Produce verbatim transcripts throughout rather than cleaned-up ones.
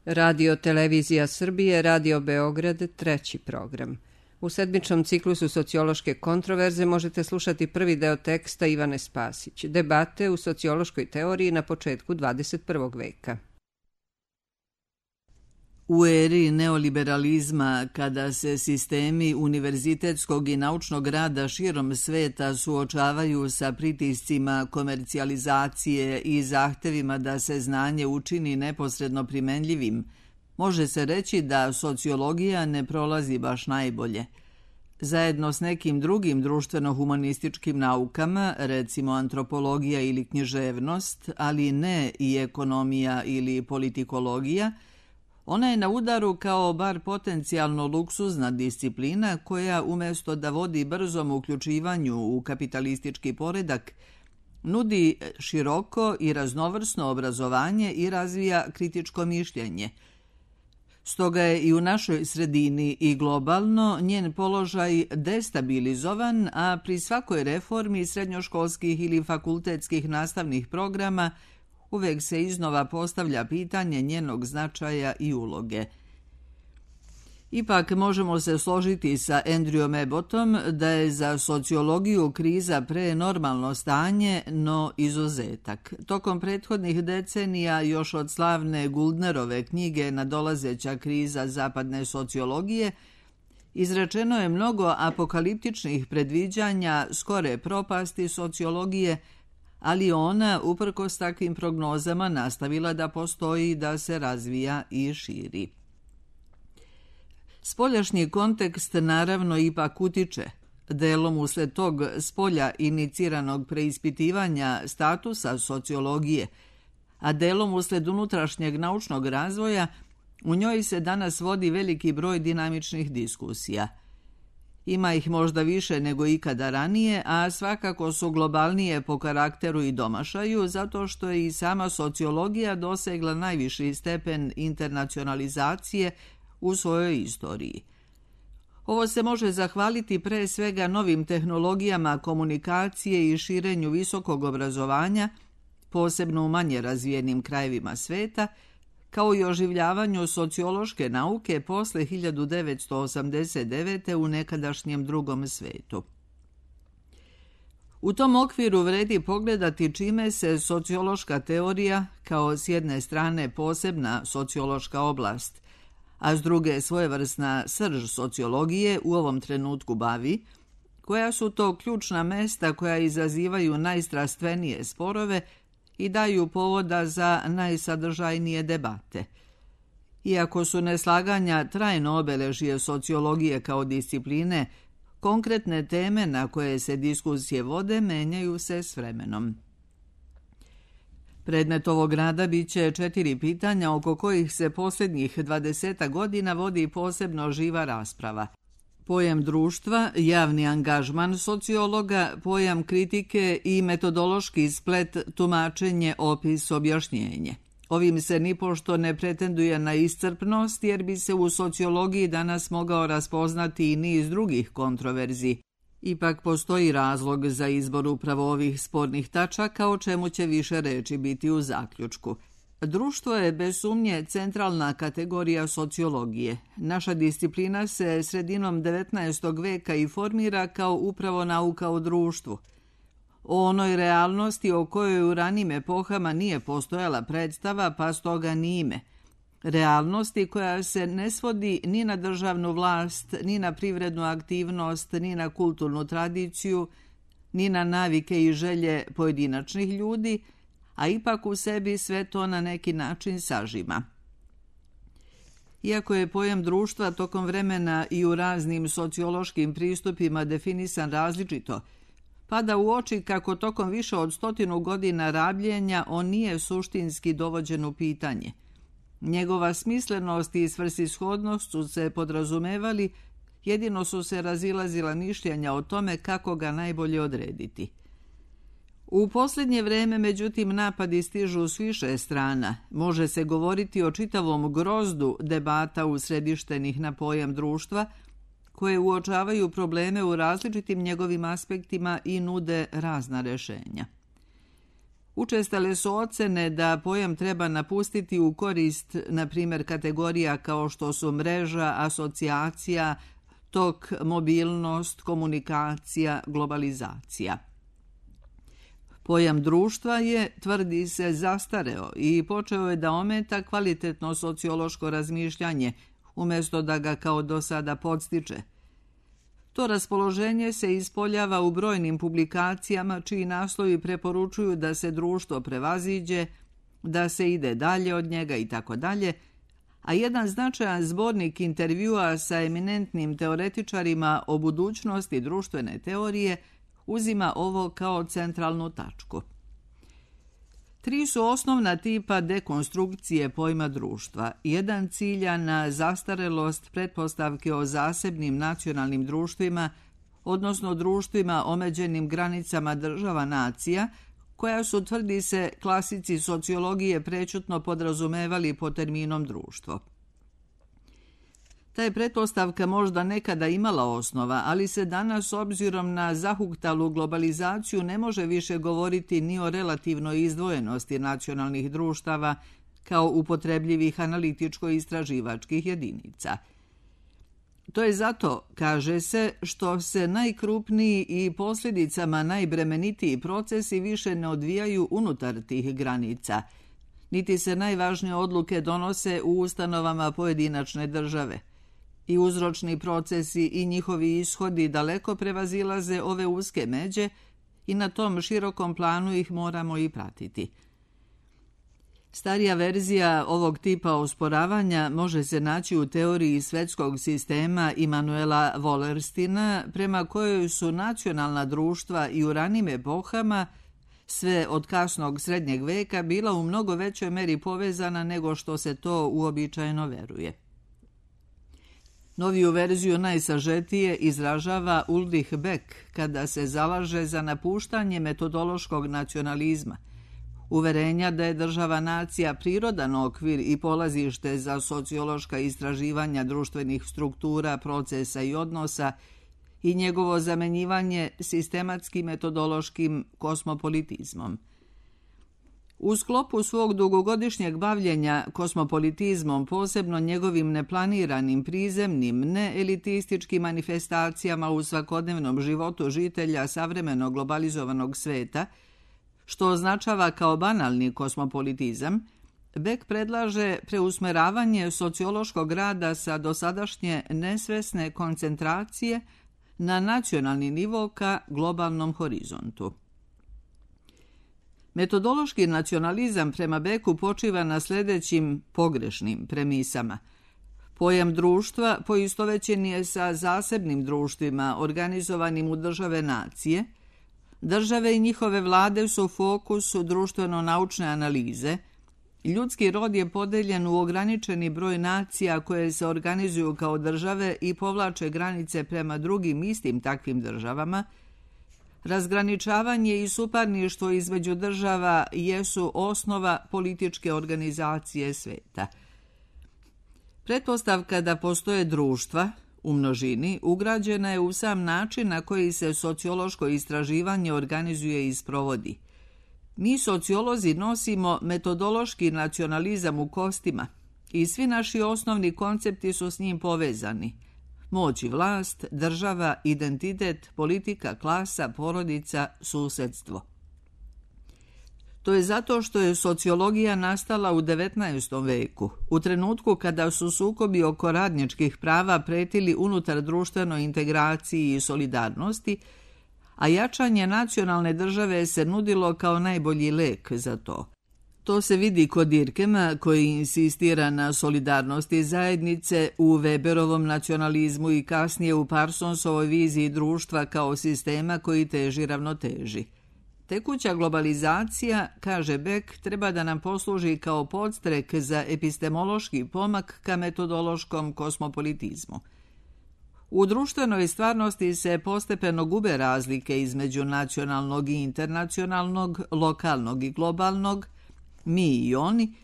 Radio Televizija Srbije, Radio Beograd, treći program. U sedmičnom ciklusu sociološke kontroverze možete slušati prvi deo teksta Ivane Spasić, debate u sociološkoj teoriji na početku dvadeset prvog veka. U eri neoliberalizma, kada se sistemi univerzitetskog i naučnog rada širom sveta suočavaju sa pritiscima komercijalizacije i zahtevima da se znanje učini neposredno primenljivim, može se reći da sociologija ne prolazi baš najbolje. Zajedno s nekim drugim društveno-humanističkim naukama, recimo antropologija ili književnost, ali ne i ekonomija ili politikologija, ona je na udaru kao bar potencijalno luksuzna disciplina koja umjesto da vodi brzom uključivanju u kapitalistički poredak, nudi široko i raznovrsno obrazovanje i razvija kritičko mišljenje. Stoga je i u našoj sredini i globalno njen položaj destabilizovan, a pri svakoj reformi srednjoškolskih ili fakultetskih nastavnih programa uvek se iznova postavlja pitanje njenog značaja i uloge. Ipak možemo se složiti sa Andrewom Abbottom da je za sociologiju kriza prenormalno stanje, no izuzetak. Tokom prethodnih decenija, još od slavne Guldnerove knjige Nadolazeća kriza zapadne sociologije, izrečeno je mnogo apokaliptičnih predviđanja skore propasti sociologije, ali ona, uprkos takvim prognozama, nastavila da postoji, da se razvija i širi. Spoljašnji kontekst naravno ipak utiče, delom usled tog spolja iniciranog preispitivanja statusa sociologije, a delom usled unutrašnjeg naučnog razvoja, u njoj se danas vodi veliki broj dinamičnih diskusija. Ima ih možda više nego ikada ranije, a svakako su globalnije po karakteru i domašaju, zato što je i sama sociologija dosegla najviši stepen internacionalizacije u svojoj istoriji. Ovo se može zahvaliti pre svega novim tehnologijama komunikacije i širenju visokog obrazovanja, posebno u manje razvijenim krajevima sveta, kao i oživljavanju sociološke nauke posle hiljadu devetsto osamdeset devete. u nekadašnjem drugom svetu. U tom okviru vredi pogledati čime se sociološka teorija, kao s jedne strane posebna sociološka oblast, a s druge svojevrsna srž sociologije u ovom trenutku bavi, koja su to ključna mesta koja izazivaju najstrastvenije sporove i daju povoda za najsadržajnije debate. Iako su neslaganja trajno obeležje sociologije kao discipline, konkretne teme na koje se diskusije vode menjaju se s vremenom. Predmet ovog rada biće četiri pitanja oko kojih se posljednjih dvadesetak godina vodi posebno živa rasprava. Pojam društva, javni angažman sociologa, pojam kritike i metodološki splet, tumačenje, opis, objašnjenje. Ovim se nipošto ne pretenduje na iscrpnost, jer bi se u sociologiji danas mogao raspoznati i niz drugih kontroverzi. Ipak postoji razlog za izbor upravo ovih spornih tačaka, o čemu će više reči biti u zaključku. Društvo je bez sumnje centralna kategorija sociologije. Naša disciplina se sredinom devetnaestog veka i formira kao upravo nauka o društvu. O onoj realnosti o kojoj u ranim epohama nije postojala predstava, pa stoga ni ime. Realnosti koja se ne svodi ni na državnu vlast, ni na privrednu aktivnost, ni na kulturnu tradiciju, ni na navike i želje pojedinačnih ljudi, a ipak u sebi sve to na neki način sažima. Iako je pojam društva tokom vremena i u raznim sociološkim pristupima definisan različito, pada u oči kako tokom više od stotinu godina rabljenja on nije suštinski dovođen u pitanje. Njegova smislenost i svrsishodnost su se podrazumevali, jedino su se razilazila mišljenja o tome kako ga najbolje odrediti. U posljednje vreme, međutim, napadi stižu s više strana. Može se govoriti o čitavom grozdu debata usredištenih na pojam društva, koje uočavaju probleme u različitim njegovim aspektima i nude razna rešenja. Učestale su ocene da pojam treba napustiti u korist, na primjer, kategorija kao što su mreža, asocijacija, tok, mobilnost, komunikacija, globalizacija. Pojam društva je, tvrdi se, zastareo i počeo je da ometa kvalitetno sociološko razmišljanje, umjesto da ga kao do sada podstiče. To raspoloženje se ispoljava u brojnim publikacijama čiji naslovi preporučuju da se društvo prevaziđe, da se ide dalje od njega i tako dalje, a jedan značajan zbornik intervjua sa eminentnim teoretičarima o budućnosti društvene teorije uzima ovo kao centralnu tačku. Tri su osnovna tipa dekonstrukcije pojma društva. Jedan cilja na zastarelost pretpostavke o zasebnim nacionalnim društvima, odnosno društvima omeđenim granicama država nacija, koja su, tvrdi se, klasici sociologije prečutno podrazumevali pod terminom društvo. Ta je pretpostavka možda nekada imala osnova, ali se danas, obzirom na zahuktalu globalizaciju, ne može više govoriti ni o relativnoj izdvojenosti nacionalnih društava kao upotrebljivih analitičko-istraživačkih jedinica. To je zato, kaže se, što se najkrupniji i posljedicama najbremenitiji procesi više ne odvijaju unutar tih granica, niti se najvažnije odluke donose u ustanovama pojedinačne države. I uzročni procesi i njihovi ishodi daleko prevazilaze ove uske međe i na tom širokom planu ih moramo i pratiti. Starija verzija ovog tipa osporavanja može se naći u teoriji svetskog sistema Immanuela Wallerstina, prema kojoj su nacionalna društva i u ranim epohama, sve od kasnog srednjeg veka, bila u mnogo većoj meri povezana nego što se to uobičajeno veruje. Noviju verziju najsažetije izražava Ulrich Beck kada se zalaže za napuštanje metodološkog nacionalizma, uverenja da je država nacija prirodan okvir i polazište za sociološka istraživanja društvenih struktura, procesa i odnosa i njegovo zamenjivanje sistematskim metodološkim kosmopolitizmom. U sklopu svog dugogodišnjeg bavljenja kosmopolitizmom, posebno njegovim neplaniranim, prizemnim, neelitističkim manifestacijama u svakodnevnom životu žitelja savremenog globalizovanog sveta, što označava kao banalni kosmopolitizam, Beck predlaže preusmeravanje sociološkog rada sa dosadašnje nesvesne koncentracije na nacionalni nivo ka globalnom horizontu. Metodološki nacionalizam prema Becku počiva na sljedećim pogrešnim premisama. Pojam društva poistovećen je sa zasebnim društvima organizovanim u države nacije. Države i njihove vlade su fokus društveno-naučne analize. Ljudski rod je podeljen u ograničeni broj nacija koje se organizuju kao države i povlače granice prema drugim istim takvim državama. Razgraničavanje i suparništvo između država jesu osnova političke organizacije sveta. Pretpostavka da postoje društva u množini ugrađena je u sam način na koji se sociološko istraživanje organizuje i sprovodi. Mi sociolozi nosimo metodološki nacionalizam u kostima i svi naši osnovni koncepti su s njim povezani. Moć i vlast, država, identitet, politika, klasa, porodica, susjedstvo. To je zato što je sociologija nastala u devetnaestom veku, u trenutku kada su sukobi oko radničkih prava pretili unutar društvenoj integraciji i solidarnosti, a jačanje nacionalne države se nudilo kao najbolji lek za to. To se vidi kod Dirkema, koji insistira na solidarnosti zajednice, u Weberovom nacionalizmu i kasnije u Parsonsovoj viziji društva kao sistema koji teži ravnoteži. Tekuća globalizacija, kaže Beck, treba da nam posluži kao podstrek za epistemološki pomak ka metodološkom kosmopolitizmu. U društvenoj stvarnosti se postepeno gube razlike između nacionalnog i internacionalnog, lokalnog i globalnog, mi i oni,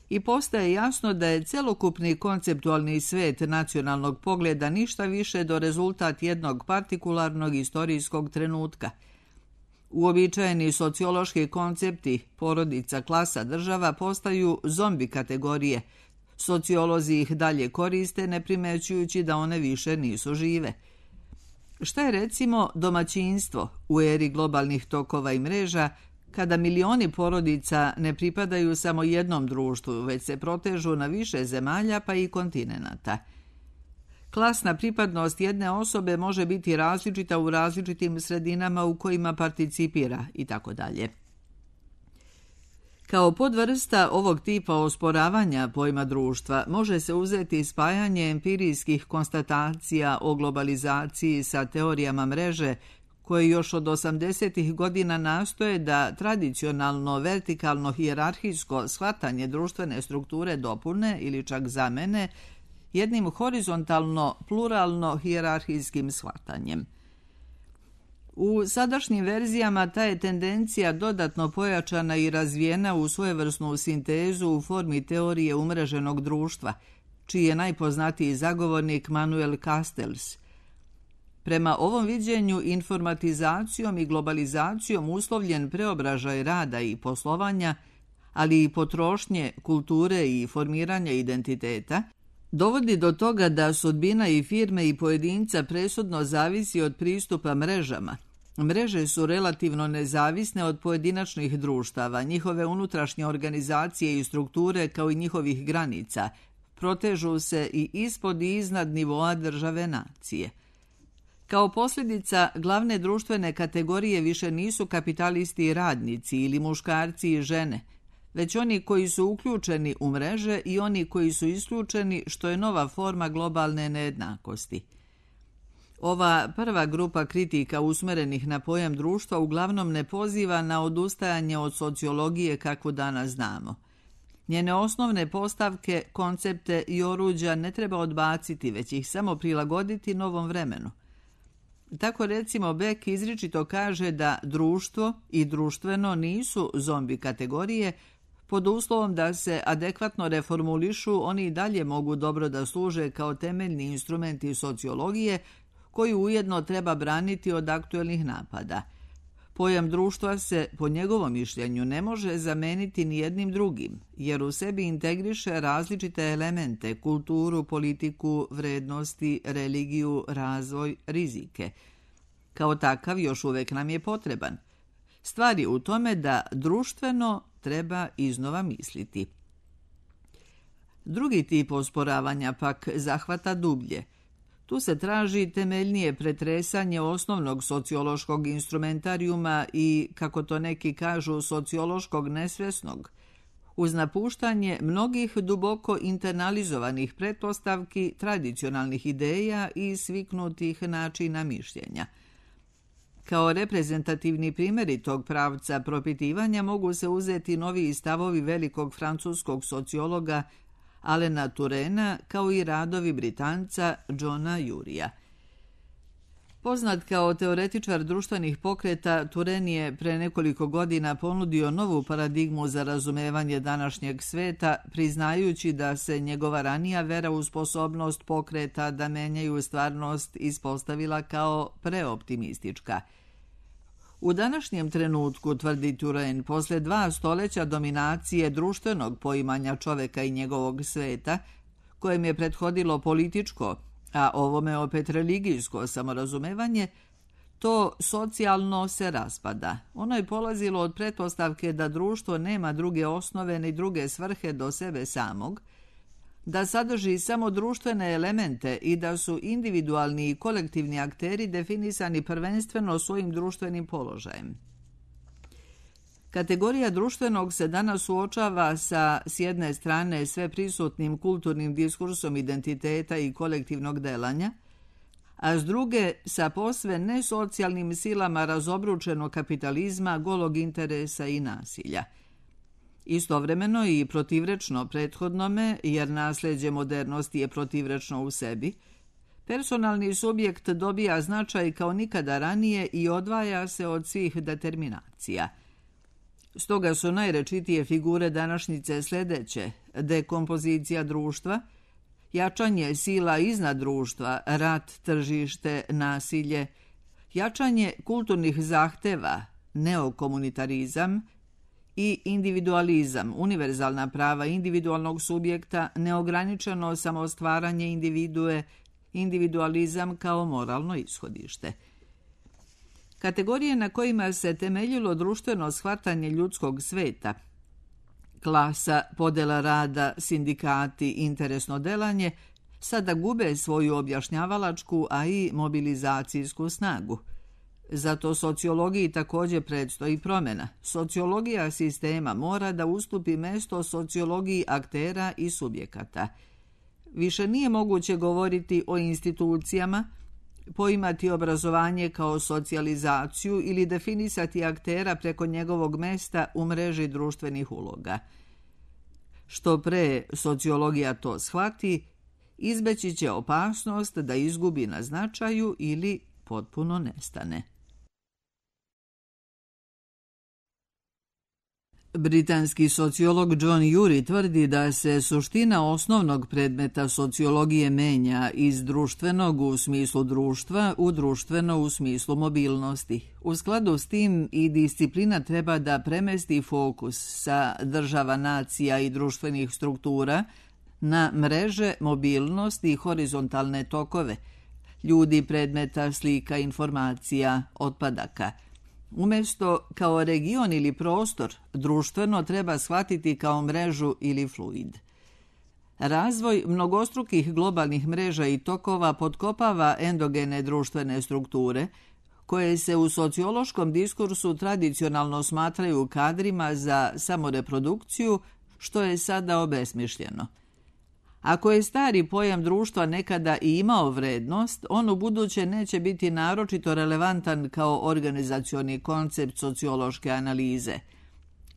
i postaje jasno da je celokupni konceptualni svet nacionalnog pogleda ništa više do rezultat jednog partikularnog istorijskog trenutka. Uobičajeni sociološki koncepti porodica, klasa, država postaju zombi kategorije. Sociolozi ih dalje koriste, ne primećujući da one više nisu žive. Šta je recimo domaćinstvo u eri globalnih tokova i mreža, kada milioni porodica ne pripadaju samo jednom društvu, već se protežu na više zemalja pa i kontinenata? Klasna pripadnost jedne osobe može biti različita u različitim sredinama u kojima participira i tako dalje. Kao podvrsta ovog tipa osporavanja pojma društva može se uzeti spajanje empirijskih konstatacija o globalizaciji sa teorijama mreže, koje još od osamdesetih godina nastoje da tradicionalno vertikalno hijerarhijsko shvatanje društvene strukture dopune ili čak zamene jednim horizontalno pluralno hijerarhijskim shvatanjem. U sadašnjim verzijama ta je tendencija dodatno pojačana i razvijena u svojevrsnu sintezu u formi teorije umreženog društva, čiji je najpoznatiji zagovornik Manuel Castells. Prema ovom viđenju informatizacijom i globalizacijom uslovljen preobražaj rada i poslovanja, ali i potrošnje, kulture i formiranja identiteta, dovodi do toga da sudbina i firme i pojedinca presudno zavisi od pristupa mrežama. Mreže su relativno nezavisne od pojedinačnih društava, njihove unutrašnje organizacije i strukture kao i njihovih granica, protežu se i ispod i iznad nivoa države nacije. Kao posljedica, glavne društvene kategorije više nisu kapitalisti i radnici ili muškarci i žene, već oni koji su uključeni u mreže i oni koji su isključeni, što je nova forma globalne nejednakosti. Ova prva grupa kritika usmerenih na pojam društva uglavnom ne poziva na odustajanje od sociologije kakvu danas znamo. Njene osnovne postavke, koncepte i oruđa ne treba odbaciti, već ih samo prilagoditi novom vremenu. Tako recimo Beck izričito kaže da društvo i društveno nisu zombi kategorije, pod uslovom da se adekvatno reformulišu, oni i dalje mogu dobro da služe kao temeljni instrumenti sociologije, koju ujedno treba braniti od aktuelnih napada. Pojam društva se, po njegovom mišljenju, ne može zameniti ni jednim drugim, jer u sebi integriše različite elemente, kulturu, politiku, vrednosti, religiju, razvoj, rizike. Kao takav još uvek nam je potreban. Stvar je u tome da društveno treba iznova misliti. Drugi tip osporavanja pak zahvata dublje. Tu se traži temeljnije pretresanje osnovnog sociološkog instrumentarijuma i, kako to neki kažu, sociološkog nesvesnog, uz napuštanje mnogih duboko internalizovanih pretpostavki, tradicionalnih ideja i sviknutih načina mišljenja. Kao reprezentativni primjeri tog pravca propitivanja mogu se uzeti novi stavovi velikog francuskog sociologa Alena Turena, kao i radovi Britanca Johna Jurija. Poznat kao teoretičar društvenih pokreta, Turen je pre nekoliko godina ponudio novu paradigmu za razumevanje današnjeg sveta, priznajući da se njegova ranija vera u sposobnost pokreta da menjaju stvarnost ispostavila kao preoptimistička. U današnjem trenutku, tvrdi Turen, posle dva stoleća dominacije društvenog poimanja čoveka i njegovog sveta, kojem je prethodilo političko, a ovome opet religijsko samorazumevanje, to socijalno se raspada. Ono je polazilo od pretpostavke da društvo nema druge osnove ni druge svrhe do sebe samog, da sadrži samo društvene elemente i da su individualni i kolektivni akteri definisani prvenstveno svojim društvenim položajem. Kategorija društvenog se danas suočava sa, s jedne strane, sve prisutnim kulturnim diskursom identiteta i kolektivnog delanja, a s druge sa posve nesocijalnim silama razobručenog kapitalizma, golog interesa i nasilja. Istovremeno i protivrečno prethodnome, jer nasljeđe modernosti je protivrečno u sebi, personalni subjekt dobija značaj kao nikada ranije i odvaja se od svih determinacija. Stoga su najrečitije figure današnjice sljedeće: dekompozicija društva, jačanje sila iznad društva, rat, tržište, nasilje, jačanje kulturnih zahteva, neokomunitarizam i individualizam, univerzalna prava individualnog subjekta, neograničeno samostvaranje individue, individualizam kao moralno ishodište. Kategorije na kojima se temeljilo društveno shvatanje ljudskog sveta, klasa, podela rada, sindikati, interesno delanje, sada gube svoju objašnjavalačku, a i mobilizacijsku snagu. Zato sociologiji također predstoji promjena. Sociologija sistema mora da ustupi mesto sociologiji aktera i subjekata. Više nije moguće govoriti o institucijama, poimati obrazovanje kao socijalizaciju ili definisati aktera preko njegovog mesta u mreži društvenih uloga. Što pre sociologija to shvati, izbeći će opasnost da izgubi na značaju ili potpuno nestane. Britanski sociolog John Urey tvrdi da se suština osnovnog predmeta sociologije menja iz društvenog u smislu društva u društveno u smislu mobilnosti. U skladu s tim i disciplina treba da premesti fokus sa država, nacija i društvenih struktura na mreže, mobilnost i horizontalne tokove, ljudi, predmeta, slika, informacija, otpadaka. Umjesto kao region ili prostor, društveno treba shvatiti kao mrežu ili fluid. Razvoj mnogostrukih globalnih mreža i tokova potkopava endogene društvene strukture, koje se u sociološkom diskursu tradicionalno smatraju kadrima za samoreprodukciju, što je sada obesmišljeno. Ako je stari pojam društva nekada i imao vrednost, on u buduće neće biti naročito relevantan kao organizacioni koncept sociološke analize.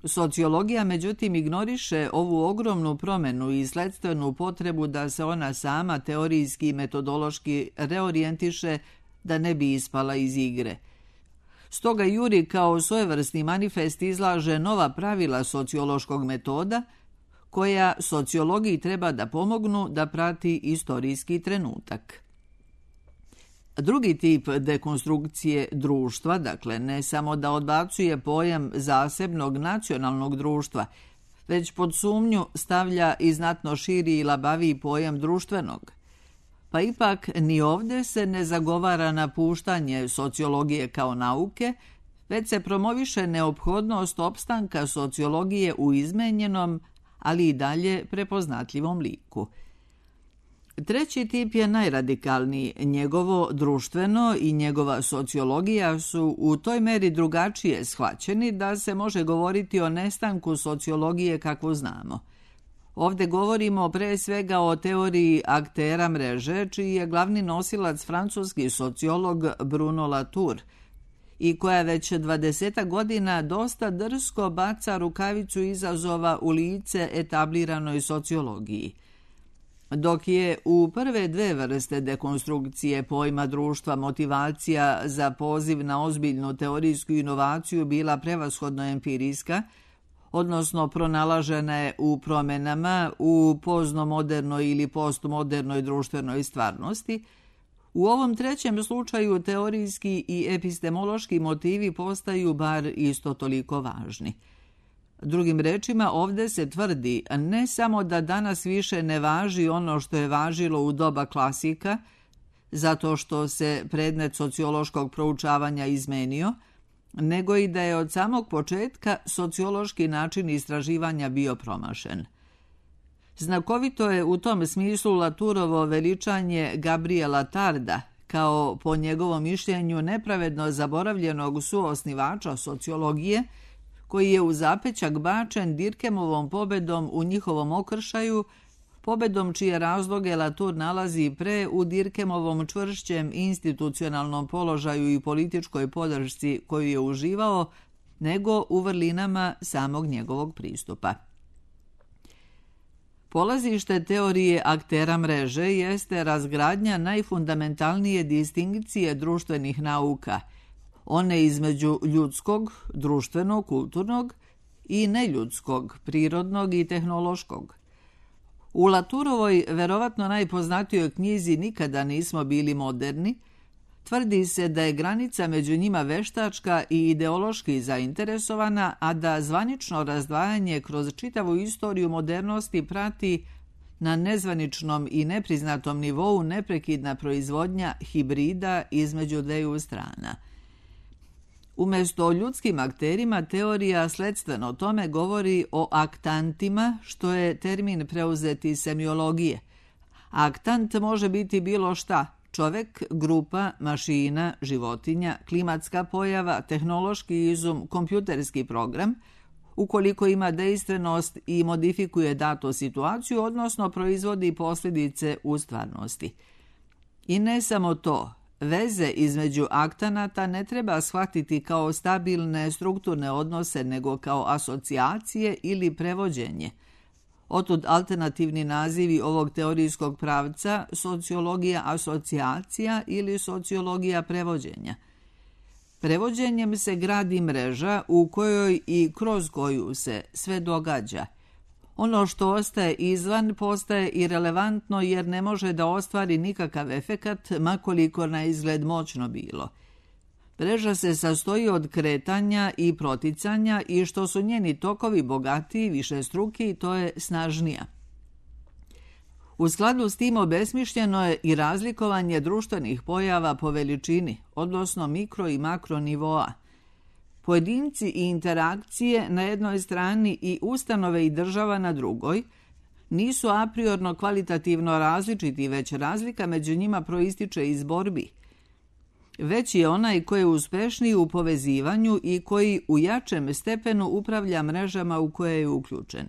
Sociologija, međutim, ignoriše ovu ogromnu promjenu i sledstvenu potrebu da se ona sama teorijski i metodološki reorijentiše da ne bi ispala iz igre. Stoga Urey kao svojevrsni manifest izlaže nova pravila sociološkog metoda, koja sociologiji treba da pomognu da prati istorijski trenutak. Drugi tip dekonstrukcije društva, dakle ne samo da odbacuje pojam zasebnog nacionalnog društva, već pod sumnju stavlja i znatno širi i labaviji pojam društvenog. Pa ipak ni ovdje se ne zagovara napuštanje sociologije kao nauke, već se promoviše neophodnost opstanka sociologije u izmenjenom, ali i dalje prepoznatljivom liku. Treći tip je najradikalniji. Njegovo društveno i njegova sociologija su u toj meri drugačije shvaćeni da se može govoriti o nestanku sociologije kakvu znamo. Ovdje govorimo pre svega o teoriji aktera mreže, čiji je glavni nosilac francuski sociolog Bruno Latour, i koja već dvadesetak godina dosta drsko baca rukavicu izazova u lice etabliranoj sociologiji. Dok je u prve dve vrste dekonstrukcije pojma društva motivacija za poziv na ozbiljnu teorijsku inovaciju bila prevashodno empirijska, odnosno pronalažena je u promjenama u poznomodernoj ili postmodernoj društvenoj stvarnosti, u ovom trećem slučaju teorijski i epistemološki motivi postaju bar isto toliko važni. Drugim rečima, ovdje se tvrdi ne samo da danas više ne važi ono što je važilo u doba klasika, zato što se predmet sociološkog proučavanja izmenio, nego i da je od samog početka sociološki način istraživanja bio promašen. Znakovito je u tom smislu Latourovo veličanje Gabriela Tarda kao, po njegovom mišljenju, nepravedno zaboravljenog suosnivača sociologije, koji je u zapećak bačen Dirkemovom pobedom u njihovom okršaju, pobedom čije razloge Latour nalazi pre u Dirkemovom čvršćem institucionalnom položaju i političkoj podršci koju je uživao, nego u vrlinama samog njegovog pristupa. Polazište teorije aktera mreže jeste razgradnja najfundamentalnije distinkcije društvenih nauka, one između ljudskog, društvenog, kulturnog i neljudskog, prirodnog i tehnološkog. U Latourovoj, verovatno najpoznatijoj knjizi Nikada nismo bili moderni, Tvrdi se da je granica među njima veštačka i ideološki zainteresovana, a da zvanično razdvajanje kroz čitavu istoriju modernosti prati na nezvaničnom i nepriznatom nivou neprekidna proizvodnja hibrida između dveju strana. Umjesto o ljudskim akterima, teorija sledstveno tome govori o aktantima, što je termin preuzet iz semiologije. Aktant može biti bilo šta: čovek, grupa, mašina, životinja, klimatska pojava, tehnološki izum, kompjuterski program, ukoliko ima dejstvenost i modifikuje datu situaciju, odnosno proizvodi posljedice u stvarnosti. I ne samo to, veze između aktanata ne treba shvatiti kao stabilne strukturne odnose, nego kao asocijacije ili prevođenje. Otud alternativni nazivi ovog teorijskog pravca: sociologija asocijacija ili sociologija prevođenja. Prevođenjem se gradi mreža u kojoj i kroz koju se sve događa. Ono što ostaje izvan postaje irelevantno jer ne može da ostvari nikakav efekat, makoliko na izgled moćno bilo. Mreža se sastoji od kretanja i proticanja i što su njeni tokovi bogatiji, višestruki, to je snažnija. U skladu s tim obesmišljeno je i razlikovanje društvenih pojava po veličini, odnosno mikro i makro nivoa. Pojedinci i interakcije na jednoj strani i ustanove i država na drugoj nisu apriorno kvalitativno različiti, već razlika među njima proističe iz borbi. Već je onaj koji je uspešniji u povezivanju i koji u jačem stepenu upravlja mrežama u koje je uključen.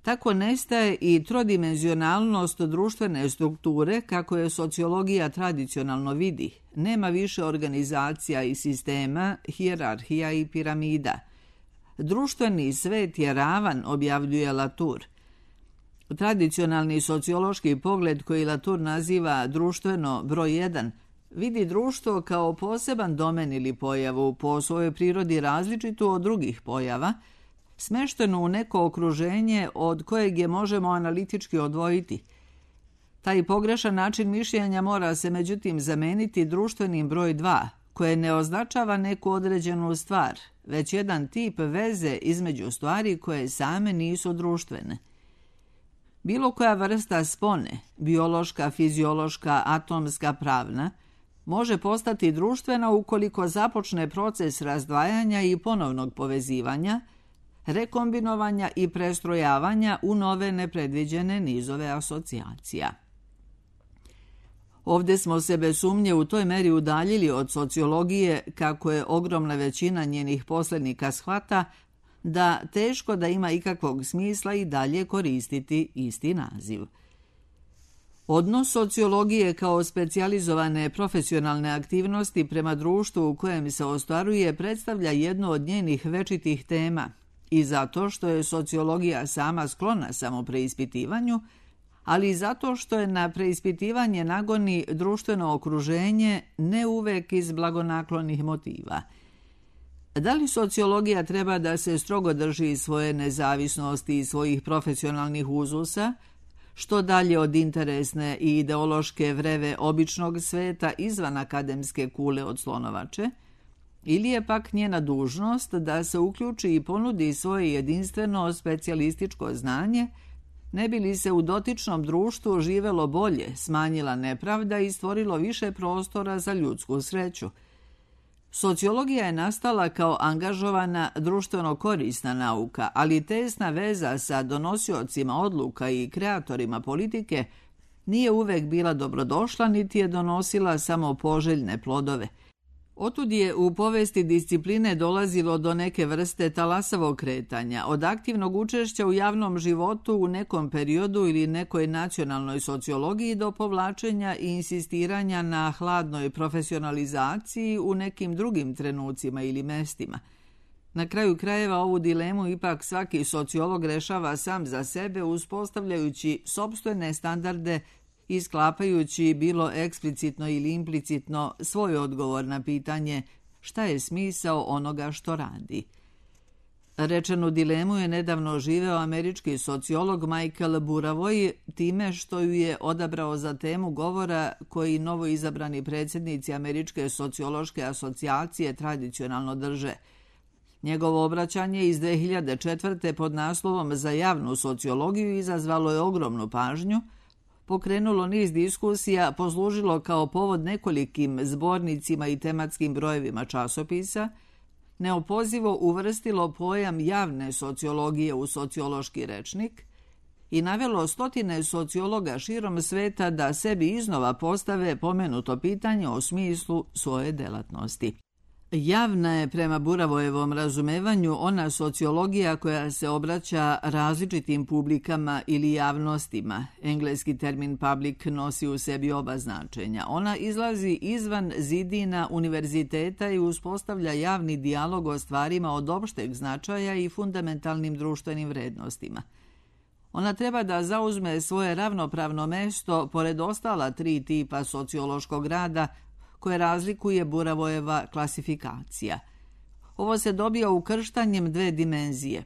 Tako nestaje i trodimenzionalnost društvene strukture, kako je sociologija tradicionalno vidi. Nema više organizacija i sistema, hijerarhija i piramida. Društveni svet je ravan, objavljuje Latour. Tradicionalni sociološki pogled, koji Latour naziva društveno broj jedan, vidi društvo kao poseban domen ili pojavu, po svojoj prirodi različitu od drugih pojava, smešteno u neko okruženje od kojeg je možemo analitički odvojiti. Taj pogrešan način mišljenja mora se međutim zameniti društvenim broj dva, koje ne označava neku određenu stvar, već jedan tip veze između stvari koje same nisu društvene. Bilo koja vrsta spone, biološka, fiziološka, atomska, pravna, može postati društvena ukoliko započne proces razdvajanja i ponovnog povezivanja, rekombinovanja i prestrojavanja u nove nepredviđene nizove asocijacija. Ovdje smo se bez sumnje u toj meri udaljili od sociologije, kako je ogromna većina njenih poslednika shvata, da teško da ima ikakvog smisla i dalje koristiti isti naziv. Odnos sociologije kao specijalizovane profesionalne aktivnosti prema društvu u kojem se ostvaruje predstavlja jednu od njenih večitih tema, i zato što je sociologija sama sklona samopreispitivanju, ali i zato što je na preispitivanje nagoni društveno okruženje, ne uvek iz blagonaklonih motiva. Da li sociologija treba da se strogo drži svoje nezavisnosti i svojih profesionalnih uzusa, što dalje od interesne i ideološke vreve običnog sveta izvan akademske kule od slonovače, ili je pak njena dužnost da se uključi i ponudi svoje jedinstveno specijalističko znanje, ne bi li se u dotičnom društvu živelo bolje, smanjila nepravda i stvorilo više prostora za ljudsku sreću. Sociologija je nastala kao angažovana društveno korisna nauka, ali tesna veza sa donosiocima odluka i kreatorima politike nije uvek bila dobrodošla, niti je donosila samo poželjne plodove. Otud je u povesti discipline dolazilo do neke vrste talasavog kretanja, od aktivnog učešća u javnom životu u nekom periodu ili nekoj nacionalnoj sociologiji do povlačenja i insistiranja na hladnoj profesionalizaciji u nekim drugim trenucima ili mestima. Na kraju krajeva ovu dilemu ipak svaki sociolog rešava sam za sebe, uspostavljajući sopstvene standarde i sklapajući bilo eksplicitno ili implicitno svoj odgovor na pitanje šta je smisao onoga što radi. Rečenu dilemu je nedavno živeo američki sociolog Michael Burawoy time što ju je odabrao za temu govora koji novoizabrani predsjednici Američke sociološke asocijacije tradicionalno drže. Njegovo obraćanje iz dve hiljade četvrte pod naslovom Za javnu sociologiju izazvalo je ogromnu pažnju, pokrenulo niz diskusija, poslužilo kao povod nekolikim zbornicima i tematskim brojevima časopisa, neopozivo uvrstilo pojam javne sociologije u sociološki rečnik i navelo stotine sociologa širom sveta da sebi iznova postave pomenuto pitanje o smislu svoje delatnosti. Javna je prema Buravojevom razumevanju ona sociologija koja se obraća različitim publikama ili javnostima. Engleski termin public nosi u sebi oba značenja. Ona izlazi izvan zidina univerziteta i uspostavlja javni dijalog o stvarima od opšteg značaja i fundamentalnim društvenim vrednostima. Ona treba da zauzme svoje ravnopravno mesto pored ostala tri tipa sociološkog rada koje razlikuje Buravojeva klasifikacija. Ovo se dobija ukrštanjem dve dimenzije.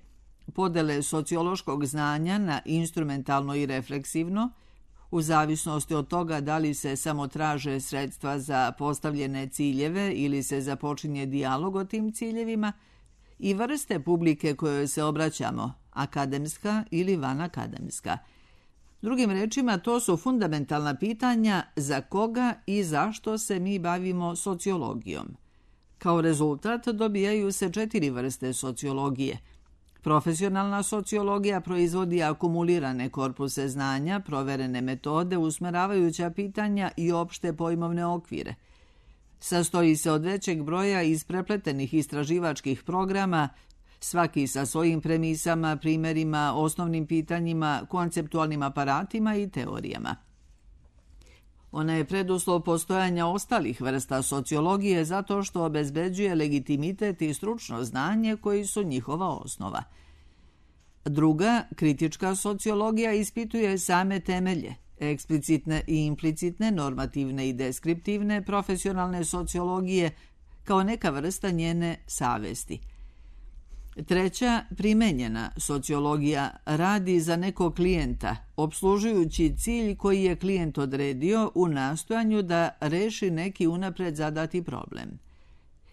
Podele sociološkog znanja na instrumentalno i refleksivno, u zavisnosti od toga da li se samo traže sredstva za postavljene ciljeve ili se započinje dijalog o tim ciljevima, i vrste publike kojoj se obraćamo, akademska ili vanakademska. Drugim rečima, to su fundamentalna pitanja za koga i zašto se mi bavimo sociologijom. Kao rezultat dobijaju se četiri vrste sociologije. Profesionalna sociologija proizvodi akumulirane korpuse znanja, proverene metode, usmeravajuća pitanja i opšte pojmovne okvire. Sastoji se od većeg broja isprepletenih istraživačkih programa, svaki sa svojim premisama, primjerima, osnovnim pitanjima, konceptualnim aparatima i teorijama. Ona je preduslov postojanja ostalih vrsta sociologije zato što obezbeđuje legitimitet i stručno znanje koji su njihova osnova. Druga, kritička sociologija ispituje same temelje, eksplicitne i implicitne, normativne i deskriptivne profesionalne sociologije kao neka vrsta njene savesti. Treća, primenjena sociologija radi za nekog klijenta, opslužujući cilj koji je klijent odredio u nastojanju da reši neki unapred zadati problem.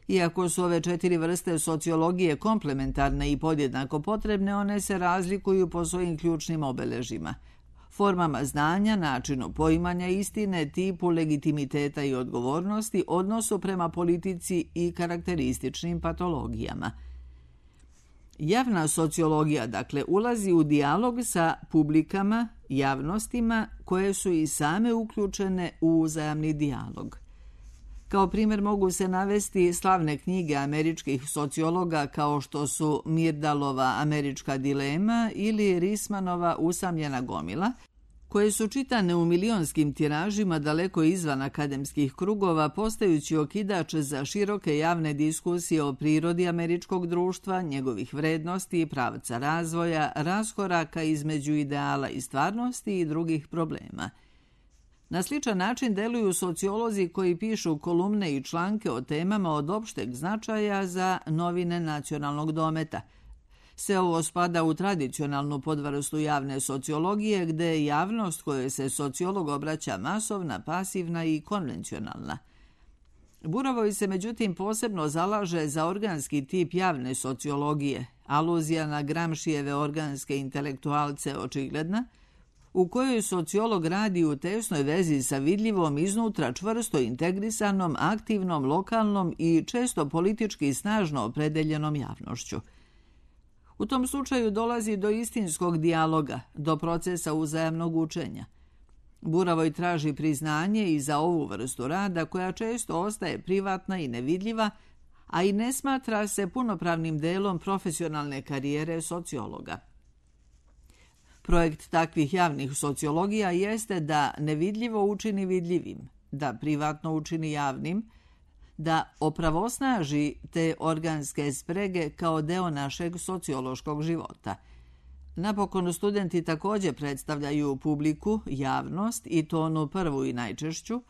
Iako su ove četiri vrste sociologije komplementarne i podjednako potrebne, one se razlikuju po svojim ključnim obeležima, formama znanja, načinu poimanja istine, tipu legitimiteta i odgovornosti, odnosu prema politici i karakterističnim patologijama. Javna sociologija, dakle, ulazi u dijalog sa publikama, javnostima koje su i same uključene u uzajamni dijalog. Kao primjer mogu se navesti slavne knjige američkih sociologa kao što su Myrdalova Američka dilema ili Rismanova Usamljena gomila, koje su čitane u milionskim tiražima daleko izvan akademskih krugova, postajući okidač za široke javne diskusije o prirodi američkog društva, njegovih vrednosti, pravca razvoja, raskoraka između ideala i stvarnosti i drugih problema. Na sličan način deluju sociolozi koji pišu kolumne i članke o temama od opšteg značaja za novine nacionalnog dometa. Sve ovo spada u tradicionalnu podvrstu javne sociologije, gde je javnost kojoj se sociolog obraća masovna, pasivna i konvencionalna. Buravoj se međutim posebno zalaže za organski tip javne sociologije, aluzija na Gramscijeve organske intelektualce očigledna, u kojoj sociolog radi u tesnoj vezi sa vidljivom, iznutra čvrsto integrisanom, aktivnom, lokalnom i često politički snažno opredeljenom javnošću. U tom slučaju dolazi do istinskog dijaloga, do procesa uzajamnog učenja. Buravoj traži priznanje i za ovu vrstu rada koja često ostaje privatna i nevidljiva, a i ne smatra se punopravnim delom profesionalne karijere sociologa. Projekt takvih javnih sociologija jeste da nevidljivo učini vidljivim, da privatno učini javnim, da opravosnaži te organske sprege kao deo našeg sociološkog života. Napokon, studenti također predstavljaju publiku, javnost i to onu prvu i najčešću,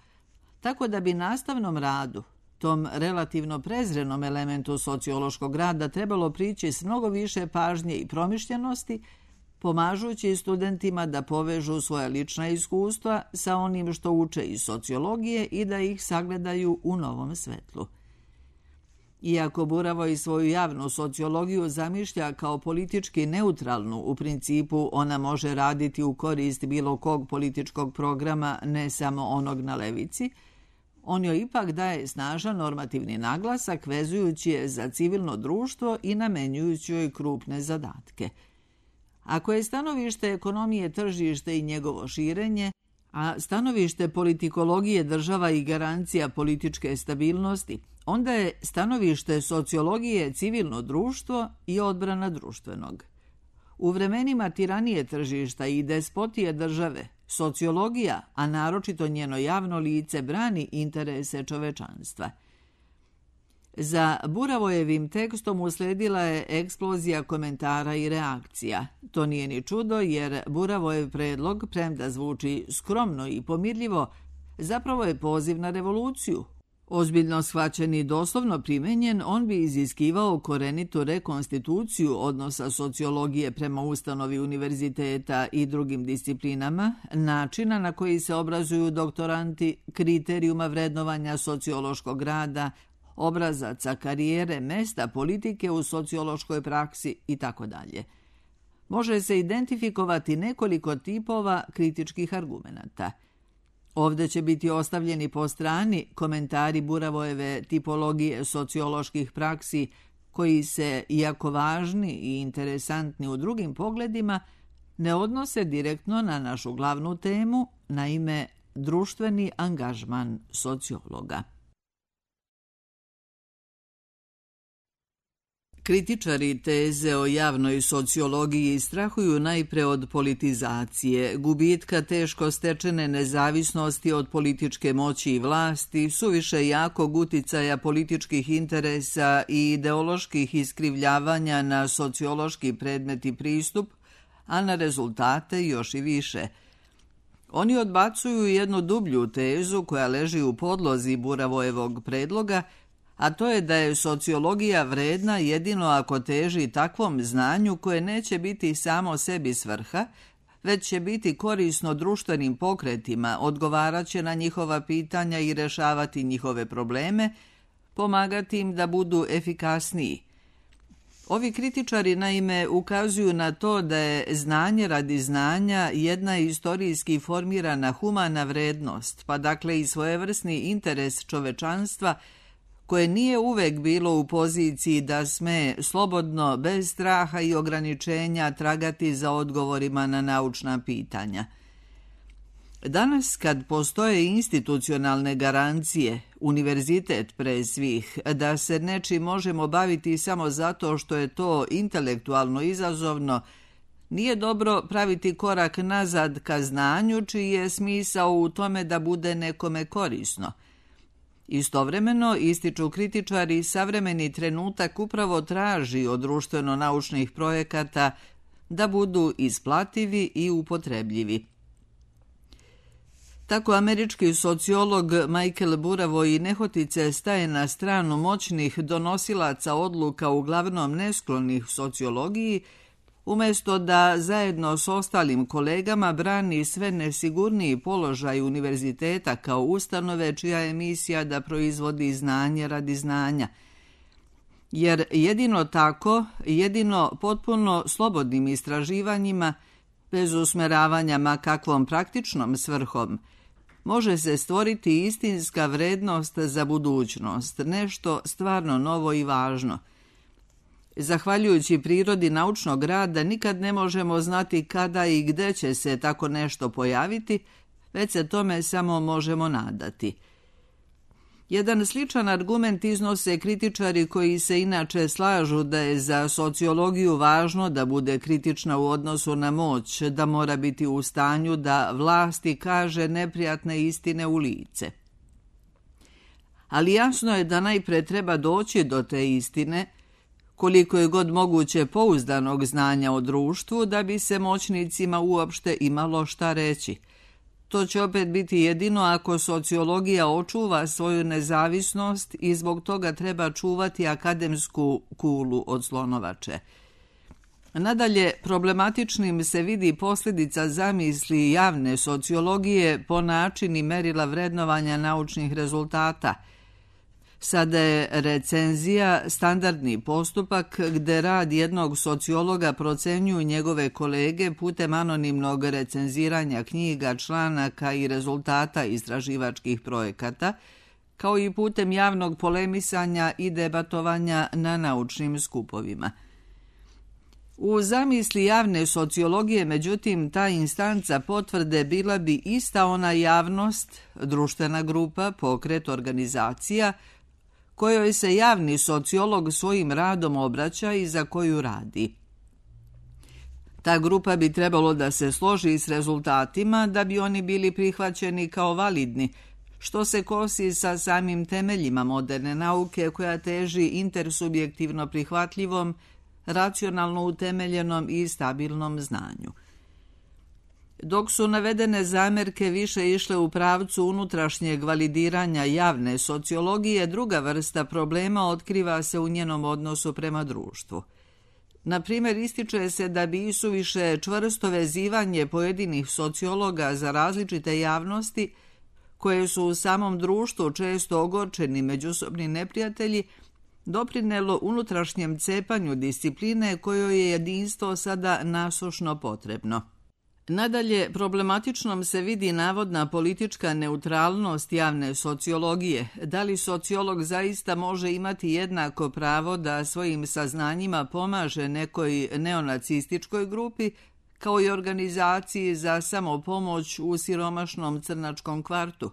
tako da bi nastavnom radu, tom relativno prezrenom elementu sociološkog rada trebalo prići s mnogo više pažnje i promišljenosti, pomažući studentima da povežu svoja lična iskustva sa onim što uče iz sociologije i da ih sagledaju u novom svetlu. Iako Buravoj svoju javnu sociologiju zamišlja kao politički neutralnu, u principu ona može raditi u korist bilo kog političkog programa, ne samo onog na levici, on joj ipak daje snažan normativni naglasak vezujući je za civilno društvo i namenjujući joj krupne zadatke. Ako je stanovište ekonomije tržište i njegovo širenje, a stanovište politikologije država i garancija političke stabilnosti, onda je stanovište sociologije civilno društvo i odbrana društvenog. U vremenima tiranije tržišta i despotije države, sociologija, a naročito njeno javno lice, brani interese čovečanstva. Za Buravojevim tekstom usledila je eksplozija komentara i reakcija. To nije ni čudo jer Buravojev predlog, premda zvuči skromno i pomirljivo, zapravo je poziv na revoluciju. Ozbiljno shvaćen i doslovno primenjen, on bi iziskivao korenitu rekonstituciju odnosa sociologije prema ustanovi univerziteta i drugim disciplinama, načina na koji se obrazuju doktoranti, kriterijuma vrednovanja sociološkog rada, obrazaca karijere, mesta politike u sociološkoj praksi itd. Može se identifikovati nekoliko tipova kritičkih argumenata. Ovdje će biti ostavljeni po strani komentari Buravojeve tipologije socioloških praksi koji se, iako važni i interesantni u drugim pogledima, ne odnose direktno na našu glavnu temu, naime društveni angažman sociologa. Kritičari teze o javnoj sociologiji strahuju najpre od politizacije, gubitka teško stečene nezavisnosti od političke moći i vlasti, suviše jakog uticaja političkih interesa i ideoloških iskrivljavanja na sociološki predmet i pristup, a na rezultate još i više. Oni odbacuju jednu dublju tezu koja leži u podlozi Buravojevog predloga, a to je da je sociologija vredna jedino ako teži takvom znanju koje neće biti samo sebi svrha, već će biti korisno društvenim pokretima, odgovaraće na njihova pitanja i rešavati njihove probleme, pomagati im da budu efikasniji. Ovi kritičari naime ukazuju na to da je znanje radi znanja jedna istorijski formirana humana vrednost, pa dakle i svojevrsni interes čovečanstva koje nije uvek bilo u poziciji da sme slobodno, bez straha i ograničenja tragati za odgovorima na naučna pitanja. Danas, kad postoje institucionalne garancije, univerzitet pre svih, da se nečim možemo baviti samo zato što je to intelektualno izazovno, nije dobro praviti korak nazad ka znanju čiji je smisao u tome da bude nekome korisno. Istovremeno, ističu kritičari, savremeni trenutak upravo traži od društveno-naučnih projekata da budu isplativi i upotrebljivi. Tako američki sociolog Michael Buravoj nehotice staje na stranu moćnih donosilaca odluka uglavnom nesklonih sociologiji, umjesto da zajedno s ostalim kolegama brani sve nesigurniji položaj univerziteta kao ustanove čija je misija da proizvodi znanje radi znanja. Jer jedino tako, jedino potpuno slobodnim istraživanjima, bez usmeravanja ma kakvom praktičnom svrhom, može se stvoriti istinska vrednost za budućnost, nešto stvarno novo i važno. Zahvaljujući prirodi naučnog rada nikad ne možemo znati kada i gde će se tako nešto pojaviti, već se tome samo možemo nadati. Jedan sličan argument iznose kritičari koji se inače slažu da je za sociologiju važno da bude kritična u odnosu na moć, da mora biti u stanju da vlasti kaže neprijatne istine u lice. Ali jasno je da najpre treba doći do te istine, koliko je god moguće pouzdanog znanja o društvu da bi se moćnicima uopšte imalo šta reći. To će opet biti jedino ako sociologija očuva svoju nezavisnost i zbog toga treba čuvati akademsku kulu od slonovače. Nadalje, problematičnim se vidi posljedica zamisli javne sociologije po načini merila vrednovanja naučnih rezultata. Sada je recenzija standardni postupak gde rad jednog sociologa procenjuju njegove kolege putem anonimnog recenziranja knjiga, članaka i rezultata istraživačkih projekata, kao i putem javnog polemisanja i debatovanja na naučnim skupovima. U zamisli javne sociologije, međutim, ta instanca potvrde bila bi ista ona javnost, društvena grupa, pokret, organizacija, kojoj se javni sociolog svojim radom obraća i za koju radi. Ta grupa bi trebalo da se složi s rezultatima da bi oni bili prihvaćeni kao validni, što se kosi sa samim temeljima moderne nauke koja teži intersubjektivno prihvatljivom, racionalno utemeljenom i stabilnom znanju. Dok su navedene zamerke više išle u pravcu unutrašnjeg validiranja javne sociologije, druga vrsta problema otkriva se u njenom odnosu prema društvu. Na primjer, ističe se da bi isuviše čvrsto vezivanje pojedinih sociologa za različite javnosti, koje su u samom društvu često ogorčeni međusobni neprijatelji, doprinelo unutrašnjem cepanju discipline kojoj je jedinstvo sada nasušno potrebno. Nadalje, problematičnom se vidi navodna politička neutralnost javne sociologije. Da li sociolog zaista može imati jednako pravo da svojim saznanjima pomaže nekoj neonacističkoj grupi, kao i organizaciji za samopomoć u siromašnom crnačkom kvartu?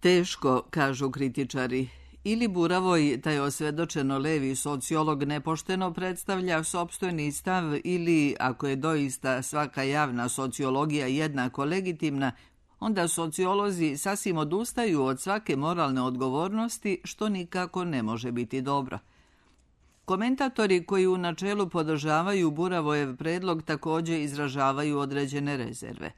Teško, kažu kritičari. Ili Buravoj, taj osvedočeno levi sociolog, nepošteno predstavlja sopstveni stav, ili, ako je doista svaka javna sociologija jednako legitimna, onda sociolozi sasvim odustaju od svake moralne odgovornosti, što nikako ne može biti dobro. Komentatori koji u načelu podržavaju Buravojev predlog također izražavaju određene rezerve.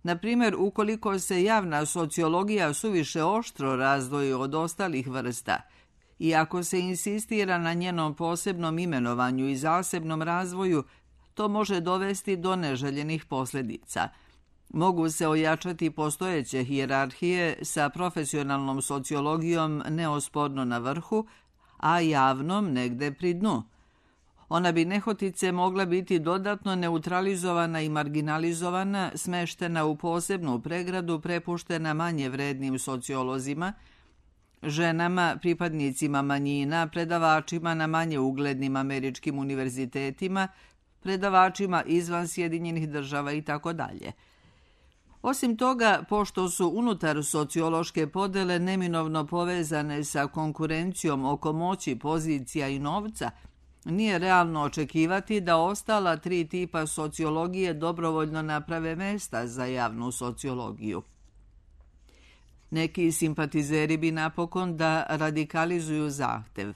Na primjer, ukoliko se javna sociologija suviše oštro razdvoji od ostalih vrsta i ako se insistira na njenom posebnom imenovanju i zasebnom razvoju, to može dovesti do neželjenih posljedica. Mogu se ojačati postojeće hijerarhije sa profesionalnom sociologijom neosporno na vrhu, a javnom negde pri dnu. Ona bi nehotice mogla biti dodatno neutralizovana i marginalizovana, smeštena u posebnu pregradu, prepuštena manje vrednim sociolozima, ženama, pripadnicima manjina, predavačima na manje uglednim američkim univerzitetima, predavačima izvan Sjedinjenih država itd. Osim toga, pošto su unutar sociološke podele neminovno povezane sa konkurencijom oko moći, pozicija i novca, nije realno očekivati da ostala tri tipa sociologije dobrovoljno naprave mesta za javnu sociologiju. Neki simpatizeri bi napokon da radikalizuju zahtev.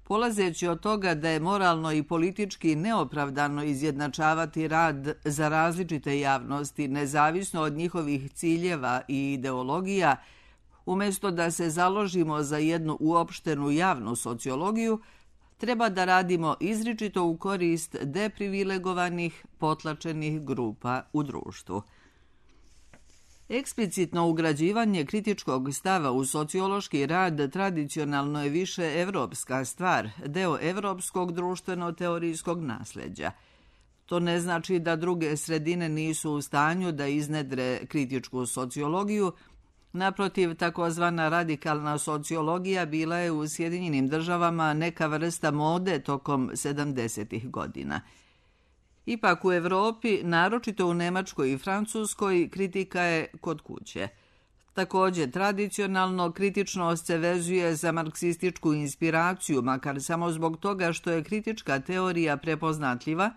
Polazeći od toga da je moralno i politički neopravdano izjednačavati rad za različite javnosti, nezavisno od njihovih ciljeva i ideologija, umjesto da se založimo za jednu uopštenu javnu sociologiju, treba da radimo izričito u korist deprivilegovanih, potlačenih grupa u društvu. Eksplicitno ugrađivanje kritičkog stava u sociološki rad tradicionalno je više evropska stvar, deo evropskog društveno-teorijskog nasljeđa. To ne znači da druge sredine nisu u stanju da iznedre kritičku sociologiju. Naprotiv, takozvana radikalna sociologija bila je u Sjedinjenim državama neka vrsta mode tokom sedamdesetih godina. Ipak u Evropi, naročito u Nemačkoj i Francuskoj, kritika je kod kuće. Također, tradicionalno kritičnost se vezuje za marksističku inspiraciju, makar samo zbog toga što je kritička teorija prepoznatljiva,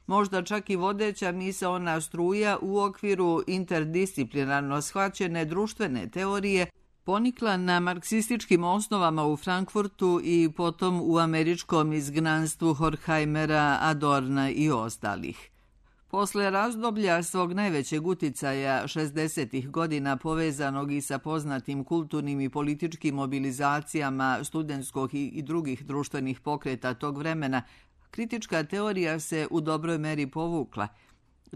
možda čak i vodeća misaona struja u okviru interdisciplinarno shvaćene društvene teorije, ponikla na marksističkim osnovama u Frankfurtu i potom u američkom izgnanstvu Horkheimera, Adorna i ostalih. Posle razdoblja svog najvećeg uticaja šezdesetih godina povezanog i sa poznatim kulturnim i političkim mobilizacijama studentskog i drugih društvenih pokreta tog vremena, kritička teorija se u dobroj meri povukla.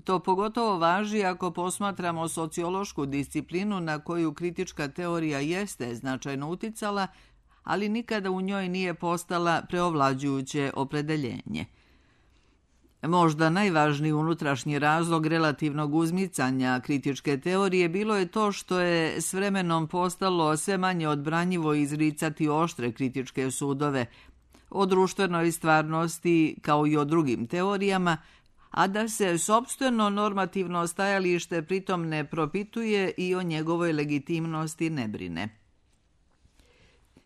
To pogotovo važi ako posmatramo sociološku disciplinu na koju kritička teorija jeste značajno uticala, ali nikada u njoj nije postala preovlađujuće opredeljenje. Možda najvažniji unutrašnji razlog relativnog uzmicanja kritičke teorije bilo je to što je s vremenom postalo sve manje odbranjivo izricati oštre kritičke sudove o društvenoj stvarnosti kao i o drugim teorijama, a da se sopstveno normativno stajalište pritom ne propituje i o njegovoj legitimnosti ne brine.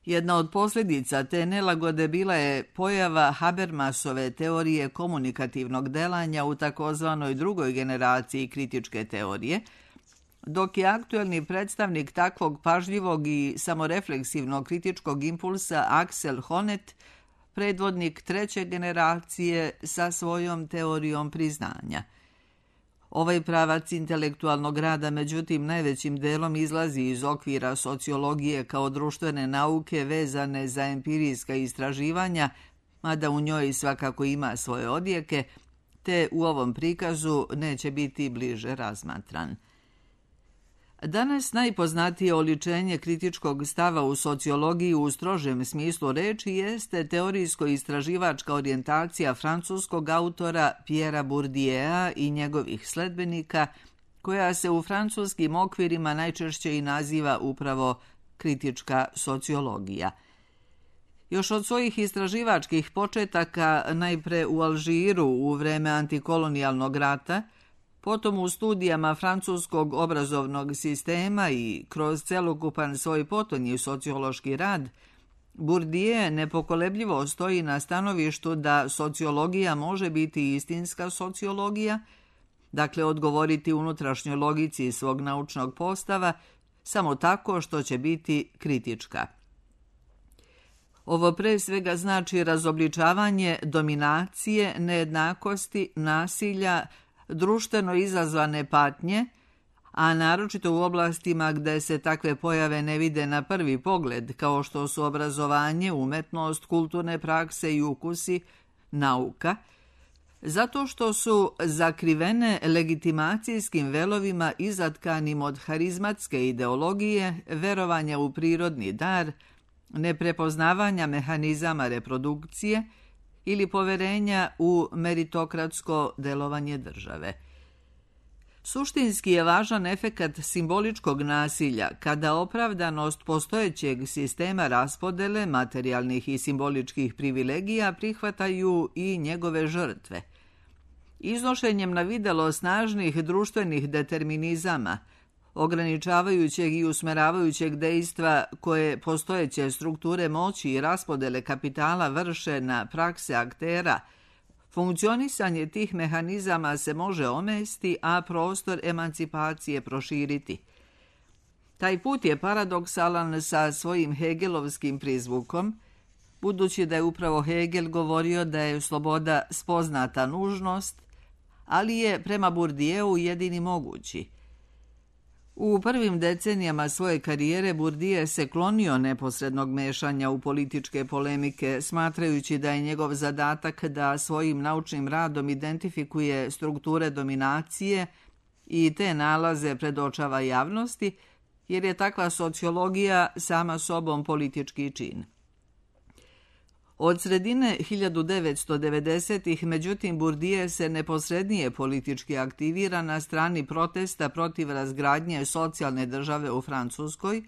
Jedna od posljedica te nelagode bila je pojava Habermasove teorije komunikativnog delanja u takozvanoj drugoj generaciji kritičke teorije, dok je aktuelni predstavnik takvog pažljivog i samorefleksivnog kritičkog impulsa Axel Honneth predvodnik treće generacije sa svojom teorijom priznanja. Ovaj pravac intelektualnog rada, međutim, najvećim delom izlazi iz okvira sociologije kao društvene nauke vezane za empirijska istraživanja, mada u njoj svakako ima svoje odjeke, te u ovom prikazu neće biti bliže razmatran. Danas najpoznatije oličenje kritičkog stava u sociologiji u strožem smislu reči jeste teorijsko-istraživačka orijentacija francuskog autora Pierrea Bourdieu'a i njegovih sledbenika, koja se u francuskim okvirima najčešće i naziva upravo kritička sociologija. Još od svojih istraživačkih početaka, najpre u Alžiru u vreme antikolonijalnog rata, potom u studijama francuskog obrazovnog sistema i kroz celokupan svoj potonji sociološki rad, Bourdieu nepokolebljivo stoji na stanovištu da sociologija može biti istinska sociologija, dakle odgovoriti unutrašnjoj logici svog naučnog postava, samo tako što će biti kritička. Ovo pre svega znači razobličavanje dominacije, nejednakosti, nasilja, društveno izazvane patnje, a naročito u oblastima gde se takve pojave ne vide na prvi pogled, kao što su obrazovanje, umetnost, kulturne prakse i ukusi, nauka, zato što su zakrivene legitimacijskim velovima izatkanim od harizmatske ideologije, verovanja u prirodni dar, neprepoznavanja mehanizama reprodukcije ili poverenja u meritokratsko delovanje države. Suštinski je važan efekat simboličkog nasilja kada opravdanost postojećeg sistema raspodele materijalnih i simboličkih privilegija prihvataju i njegove žrtve. Iznošenjem na videlo snažnih društvenih determinizama, ograničavajućeg i usmeravajućeg dejstva koje postojeće strukture moći i raspodele kapitala vrše na prakse aktera, funkcionisanje tih mehanizama se može omesti, a prostor emancipacije proširiti. Taj put je paradoksalan sa svojim hegelovskim prizvukom, budući da je upravo Hegel govorio da je sloboda spoznata nužnost, ali je prema Bourdieu jedini mogući. U prvim decenijama svoje karijere Bourdieu se klonio neposrednog mešanja u političke polemike, smatrajući da je njegov zadatak da svojim naučnim radom identifikuje strukture dominacije i te nalaze predočava javnosti, jer je takva sociologija sama sobom politički čin. Od sredine hiljadu devetsto devedesetih, međutim, Bourdieu se neposrednije politički aktivira na strani protesta protiv razgradnje socijalne države u Francuskoj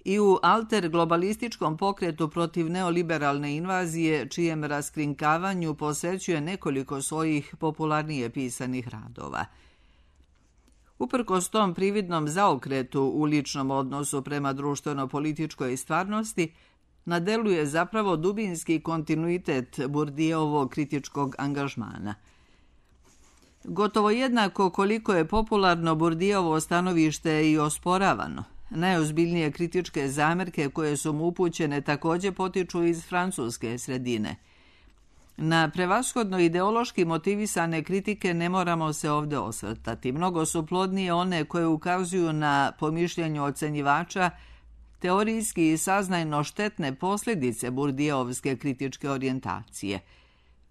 i u alter globalističkom pokretu protiv neoliberalne invazije, čijem raskrinkavanju posvećuje nekoliko svojih popularnije pisanih radova. Uprkos tom prividnom zaokretu u ličnom odnosu prema društveno-političkoj stvarnosti, na delu je zapravo dubinski kontinuitet Bourdieuovog kritičkog angažmana. Gotovo jednako koliko je popularno Bourdieuovo stanovište i osporavano, najozbiljnije kritičke zamerke koje su mu upućene također potiču iz francuske sredine. Na prevashodno ideološki motivisane kritike ne moramo se ovdje osvrtati. Mnogo su plodnije one koje ukazuju na, po mišljenju ocenjivača, teorijski i saznajno štetne posljedice Bourdieuovske kritičke orijentacije.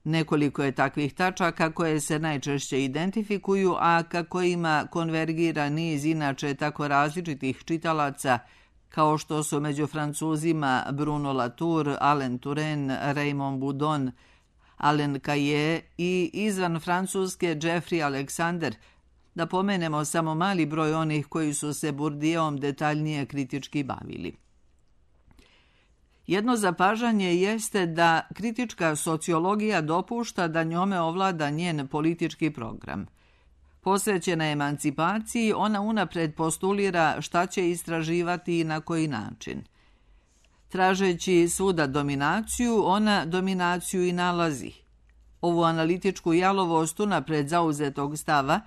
Nekoliko je takvih tačaka koje se najčešće identifikuju, a ka kojima konvergira niz inače tako različitih čitalaca, kao što su među Francuzima Bruno Latour, Alain Touraine, Raymond Boudon, Alain Caillet i izvan Francuske Jeffrey Alexander, da pomenemo samo mali broj onih koji su se Bourdieuom detaljnije kritički bavili. Jedno zapažanje jeste da kritička sociologija dopušta da njome ovlada njen politički program. Posvećena emancipaciji, ona unapred postulira šta će istraživati i na koji način. Tražeći svuda dominaciju, ona dominaciju i nalazi. Ovu analitičku jalovost unapred zauzetog stava,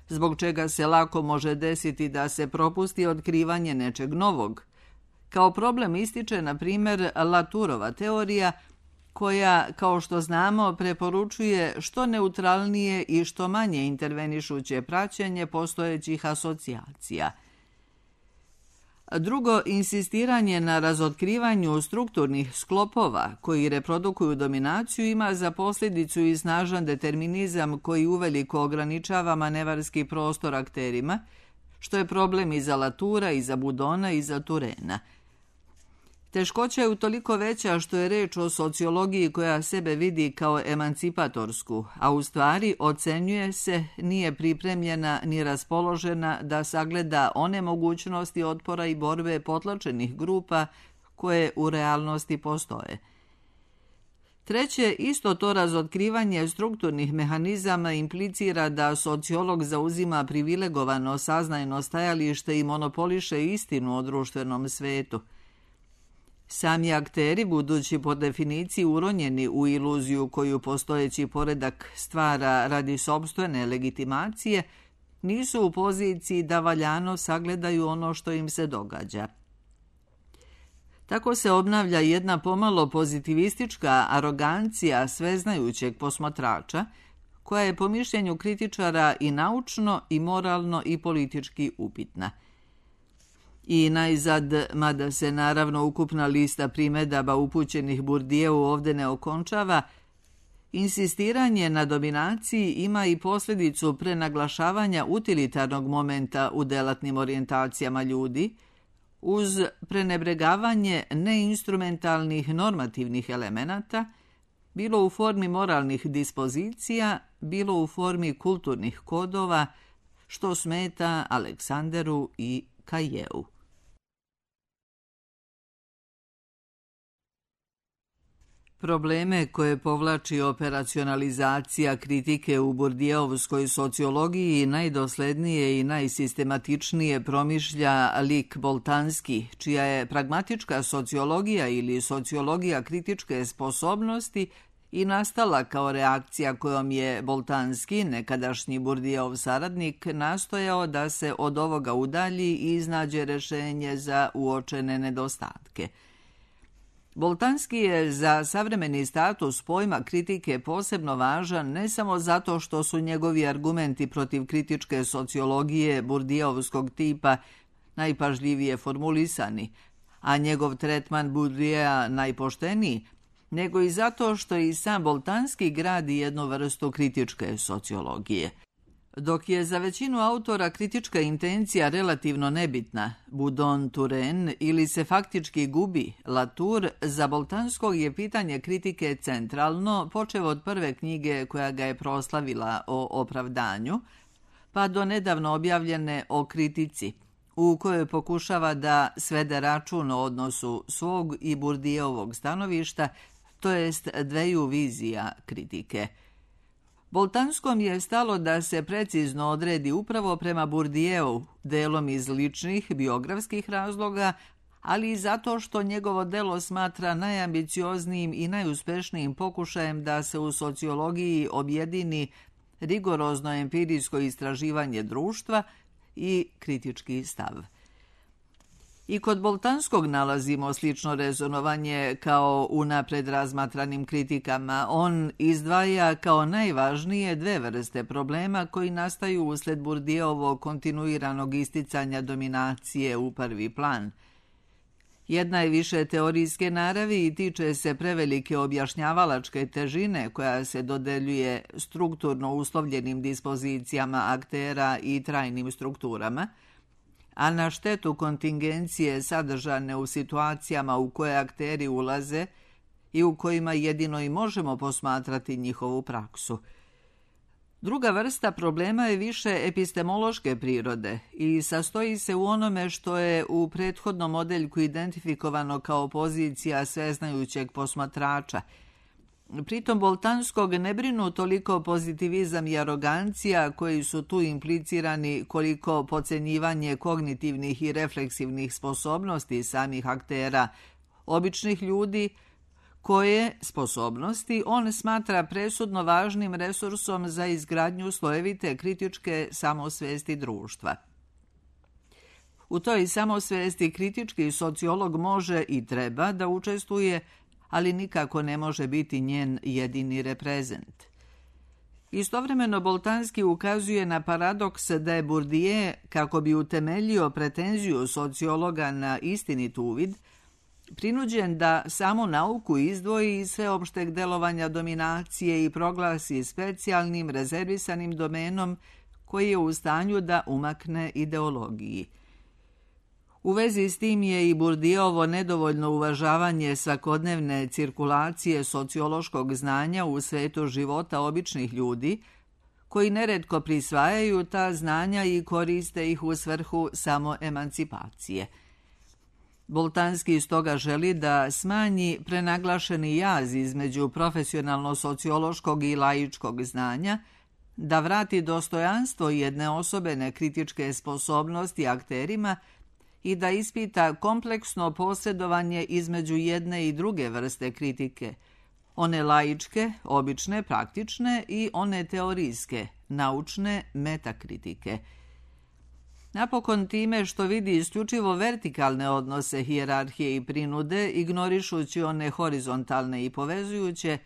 zbog čega se lako može desiti da se propusti otkrivanje nečeg novog. Kao problem ističe, na primjer, Latourova teorija, koja, kao što znamo, preporučuje što neutralnije i što manje intervenišuće praćenje postojećih asocijacija. Drugo, insistiranje na razotkrivanju strukturnih sklopova koji reprodukuju dominaciju ima za posljedicu i snažan determinizam koji uveliko ograničava manevarski prostor akterima, što je problem i za Latoura, i za Boudona, i za Touraina. Teškoća je utoliko veća što je reč o sociologiji koja sebe vidi kao emancipatorsku, a u stvari ocenjuje se, nije pripremljena ni raspoložena da sagleda one mogućnosti otpora i borbe potlačenih grupa koje u realnosti postoje. Treće, isto to razotkrivanje strukturnih mehanizama implicira da sociolog zauzima privilegovano saznajno stajalište i monopoliše istinu o društvenom svetu. Sami akteri, budući po definiciji uronjeni u iluziju koju postojeći poredak stvara radi sopstvene legitimacije, nisu u poziciji da valjano sagledaju ono što im se događa. Tako se obnavlja jedna pomalo pozitivistička arogancija sveznajućeg posmatrača, koja je po mišljenju kritičara i naučno, i moralno, i politički upitna. I najzad, mada se naravno ukupna lista primedaba upućenih Bourdieu ovdje ne okončava, insistiranje na dominaciji ima i posljedicu prenaglašavanja utilitarnog momenta u delatnim orijentacijama ljudi, uz prenebregavanje neinstrumentalnih normativnih elemenata, bilo u formi moralnih dispozicija, bilo u formi kulturnih kodova, što smeta Aleksanderu i Cailleu. Probleme koje povlači operacionalizacija kritike u Bourdieuovskoj sociologiji najdoslednije i najsistematičnije promišlja lik Boltanski, čija je pragmatička sociologija ili sociologija kritičke sposobnosti i nastala kao reakcija kojom je Boltanski, nekadašnji Bourdieuov saradnik, nastojao da se od ovoga udalji i iznađe rešenje za uočene nedostatke. Boltanski je za savremeni status pojma kritike posebno važan ne samo zato što su njegovi argumenti protiv kritičke sociologije Bourdieuovskog tipa najpažljivije formulisani, a njegov tretman Bourdieu'a najpošteniji, nego i zato što i sam Boltanski gradi jednu vrstu kritičke sociologije. Dok je za većinu autora kritička intencija relativno nebitna, Boudon, Touraine, ili se faktički gubi, Latour, za Boltanskog je pitanje kritike centralno, počev od prve knjige koja ga je proslavila o opravdanju, pa do nedavno objavljene o kritici, u kojoj pokušava da svede račun o odnosu svog i Bourdieuovog stanovišta, to jest dveju vizija kritike. Boltanskom je stalo da se precizno odredi upravo prema Bourdieu, delom iz ličnih biografskih razloga, ali i zato što njegovo delo smatra najambicioznijim i najuspešnijim pokušajem da se u sociologiji objedini rigorozno empirijsko istraživanje društva i kritički stav. I kod Boltanskog nalazimo slično rezonovanje kao u napred razmatranim kritikama. On izdvaja kao najvažnije dve vrste problema koji nastaju usled Bourdieuovog kontinuiranog isticanja dominacije u prvi plan. Jedna je više teorijske naravi i tiče se prevelike objašnjavalačke težine koja se dodeljuje strukturno uslovljenim dispozicijama aktera i trajnim strukturama, a na štetu kontingencije sadržane u situacijama u koje akteri ulaze i u kojima jedino i možemo posmatrati njihovu praksu. Druga vrsta problema je više epistemološke prirode i sastoji se u onome što je u prethodnom modeljku identifikovano kao pozicija sveznajućeg posmatrača. Pritom Boltanskog ne brinu toliko pozitivizam i arogancija koji su tu implicirani koliko podcenjivanje kognitivnih i refleksivnih sposobnosti samih aktera, običnih ljudi, koje sposobnosti on smatra presudno važnim resursom za izgradnju slojevite kritičke samosvesti društva. U toj samosvesti kritički sociolog može i treba da učestvuje, ali nikako ne može biti njen jedini reprezent. Istovremeno Boltanski ukazuje na paradoks da je Bourdieu, kako bi utemeljio pretenziju sociologa na istinit uvid, prinuđen da samo nauku izdvoji iz sveopšteg delovanja dominacije i proglasi specijalnim rezervisanim domenom koji je u stanju da umakne ideologiji. U vezi s tim je i Bourdieuovo nedovoljno uvažavanje svakodnevne cirkulacije sociološkog znanja u svetu života običnih ljudi, koji neretko prisvajaju ta znanja i koriste ih u svrhu samo emancipacije. Boltanski stoga želi da smanji prenaglašeni jaz između profesionalno-sociološkog i laičkog znanja, da vrati dostojanstvo jedne osobene kritičke sposobnosti akterima i da ispita kompleksno posredovanje između jedne i druge vrste kritike, one laičke, obične, praktične i one teorijske, naučne, metakritike. Napokon time što vidi isključivo vertikalne odnose hijerarhije i prinude, ignorišući one horizontalne i povezujuće,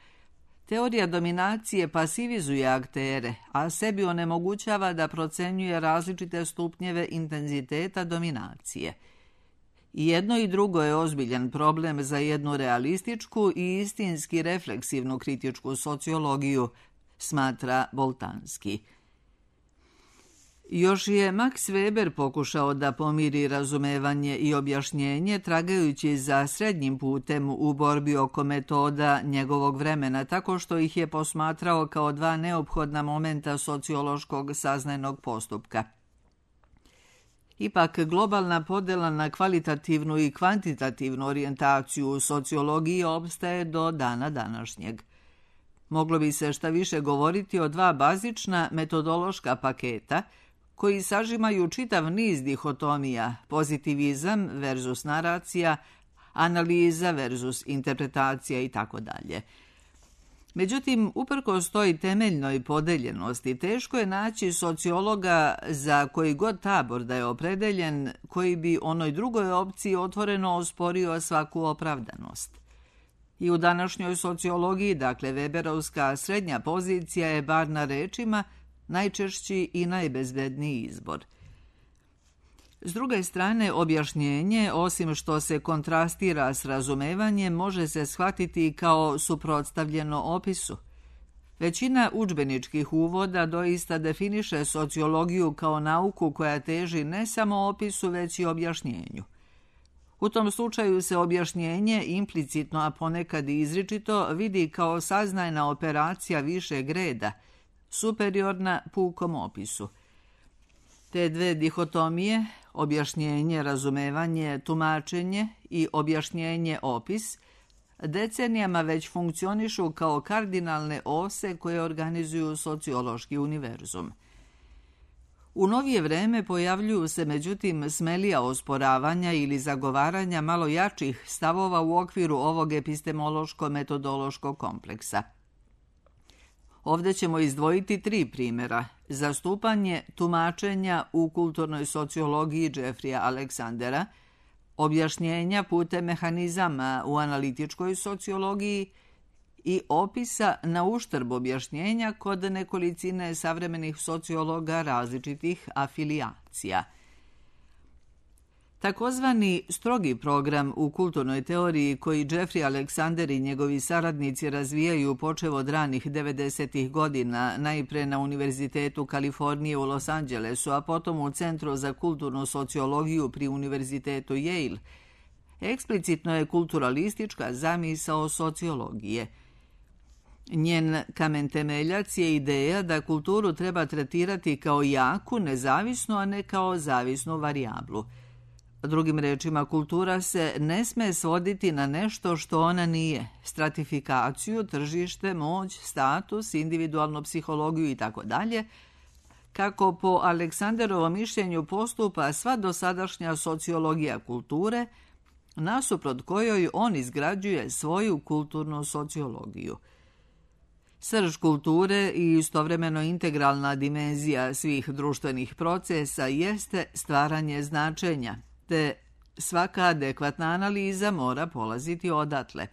teorija dominacije pasivizuje aktere, a sebi onemogućava da procenjuje različite stupnjeve intenziteta dominacije. I jedno i drugo je ozbiljan problem za jednu realističku i istinski refleksivnu kritičku sociologiju, smatra Boltanski. Još je Max Weber pokušao da pomiri razumevanje i objašnjenje tragajući za srednjim putem u borbi oko metoda njegovog vremena, tako što ih je posmatrao kao dva neophodna momenta sociološkog saznajnog postupka. Ipak, globalna podela na kvalitativnu i kvantitativnu orijentaciju u sociologiji opstaje do dana današnjeg. Moglo bi se šta više govoriti o dva bazična metodološka paketa koji sažimaju čitav niz dihotomija, pozitivizam versus naracija, analiza versus interpretacija i tako dalje. Međutim, uprkos toj temeljnoj podeljenosti, teško je naći sociologa za koji god tabor da je opredeljen, koji bi onoj drugoj opciji otvoreno osporio svaku opravdanost. I u današnjoj sociologiji, dakle Weberovska srednja pozicija je, bar na rečima, najčešći i najbezbedniji izbor. S druge strane, objašnjenje, osim što se kontrastira s razumevanjem, može se shvatiti kao suprotstavljeno opisu. Većina udžbeničkih uvoda doista definiše sociologiju kao nauku koja teži ne samo opisu, već i objašnjenju. U tom slučaju se objašnjenje implicitno, a ponekad i izričito, vidi kao saznajna operacija višeg reda, superiorna pukom opisu. Te dve dihotomije, objašnjenje, razumevanje, tumačenje i objašnjenje, opis, decenijama već funkcionišu kao kardinalne ose koje organizuju sociološki univerzum. U novije vreme pojavljuju se međutim smelija osporavanja ili zagovaranja malo jačih stavova u okviru ovog epistemološko-metodološkog kompleksa. Ovdje ćemo izdvojiti tri primjera. Zastupanje tumačenja u kulturnoj sociologiji Jeffreya Alexandera, objašnjenja putem mehanizama u analitičkoj sociologiji i opisa na uštrb objašnjenja kod nekolicine savremenih sociologa različitih afilijacija. Takozvani strogi program u kulturnoj teoriji koji Jeffrey Alexander i njegovi saradnici razvijaju počev od ranih devedesetih godina, najpre na Univerzitetu Kalifornije u Los Angelesu, a potom u Centru za kulturnu sociologiju pri Univerzitetu Yale, eksplicitno je kulturalistička zamisao sociologije. Njen kamen temeljac je ideja da kulturu treba tretirati kao jaku, nezavisnu, a ne kao zavisnu varijablu. Drugim rečima, kultura se ne sme svoditi na nešto što ona nije, stratifikaciju, tržište, moć, status, individualnu psihologiju itd., kako po Aleksanderovom mišljenju postupa sva dosadašnja sociologija kulture, nasuprot kojoj on izgrađuje svoju kulturnu sociologiju. Srž kulture i istovremeno integralna dimenzija svih društvenih procesa jeste stvaranje značenja, te svaka adekvatna analiza mora polaziti odatle.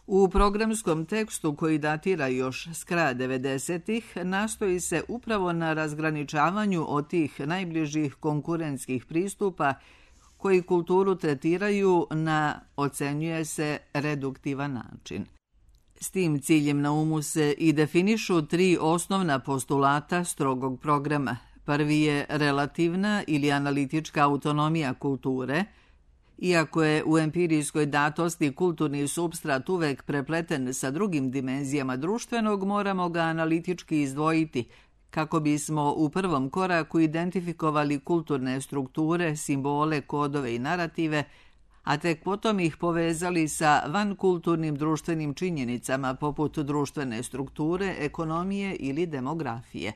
U programskom tekstu koji datira još s kraja devedesetih nastoji se upravo na razgraničavanju od tih najbližih konkurentskih pristupa koji kulturu tretiraju na, ocenjuje se, reduktivan način. S tim ciljem na umu se i definišu tri osnovna postulata strogog programa. Prvi je relativna ili analitička autonomija kulture. Iako je u empirijskoj datosti kulturni supstrat uvek prepleten sa drugim dimenzijama društvenog, moramo ga analitički izdvojiti, kako bismo u prvom koraku identifikovali kulturne strukture, simbole, kodove i narative, a tek potom ih povezali sa vankulturnim društvenim činjenicama poput društvene strukture, ekonomije ili demografije.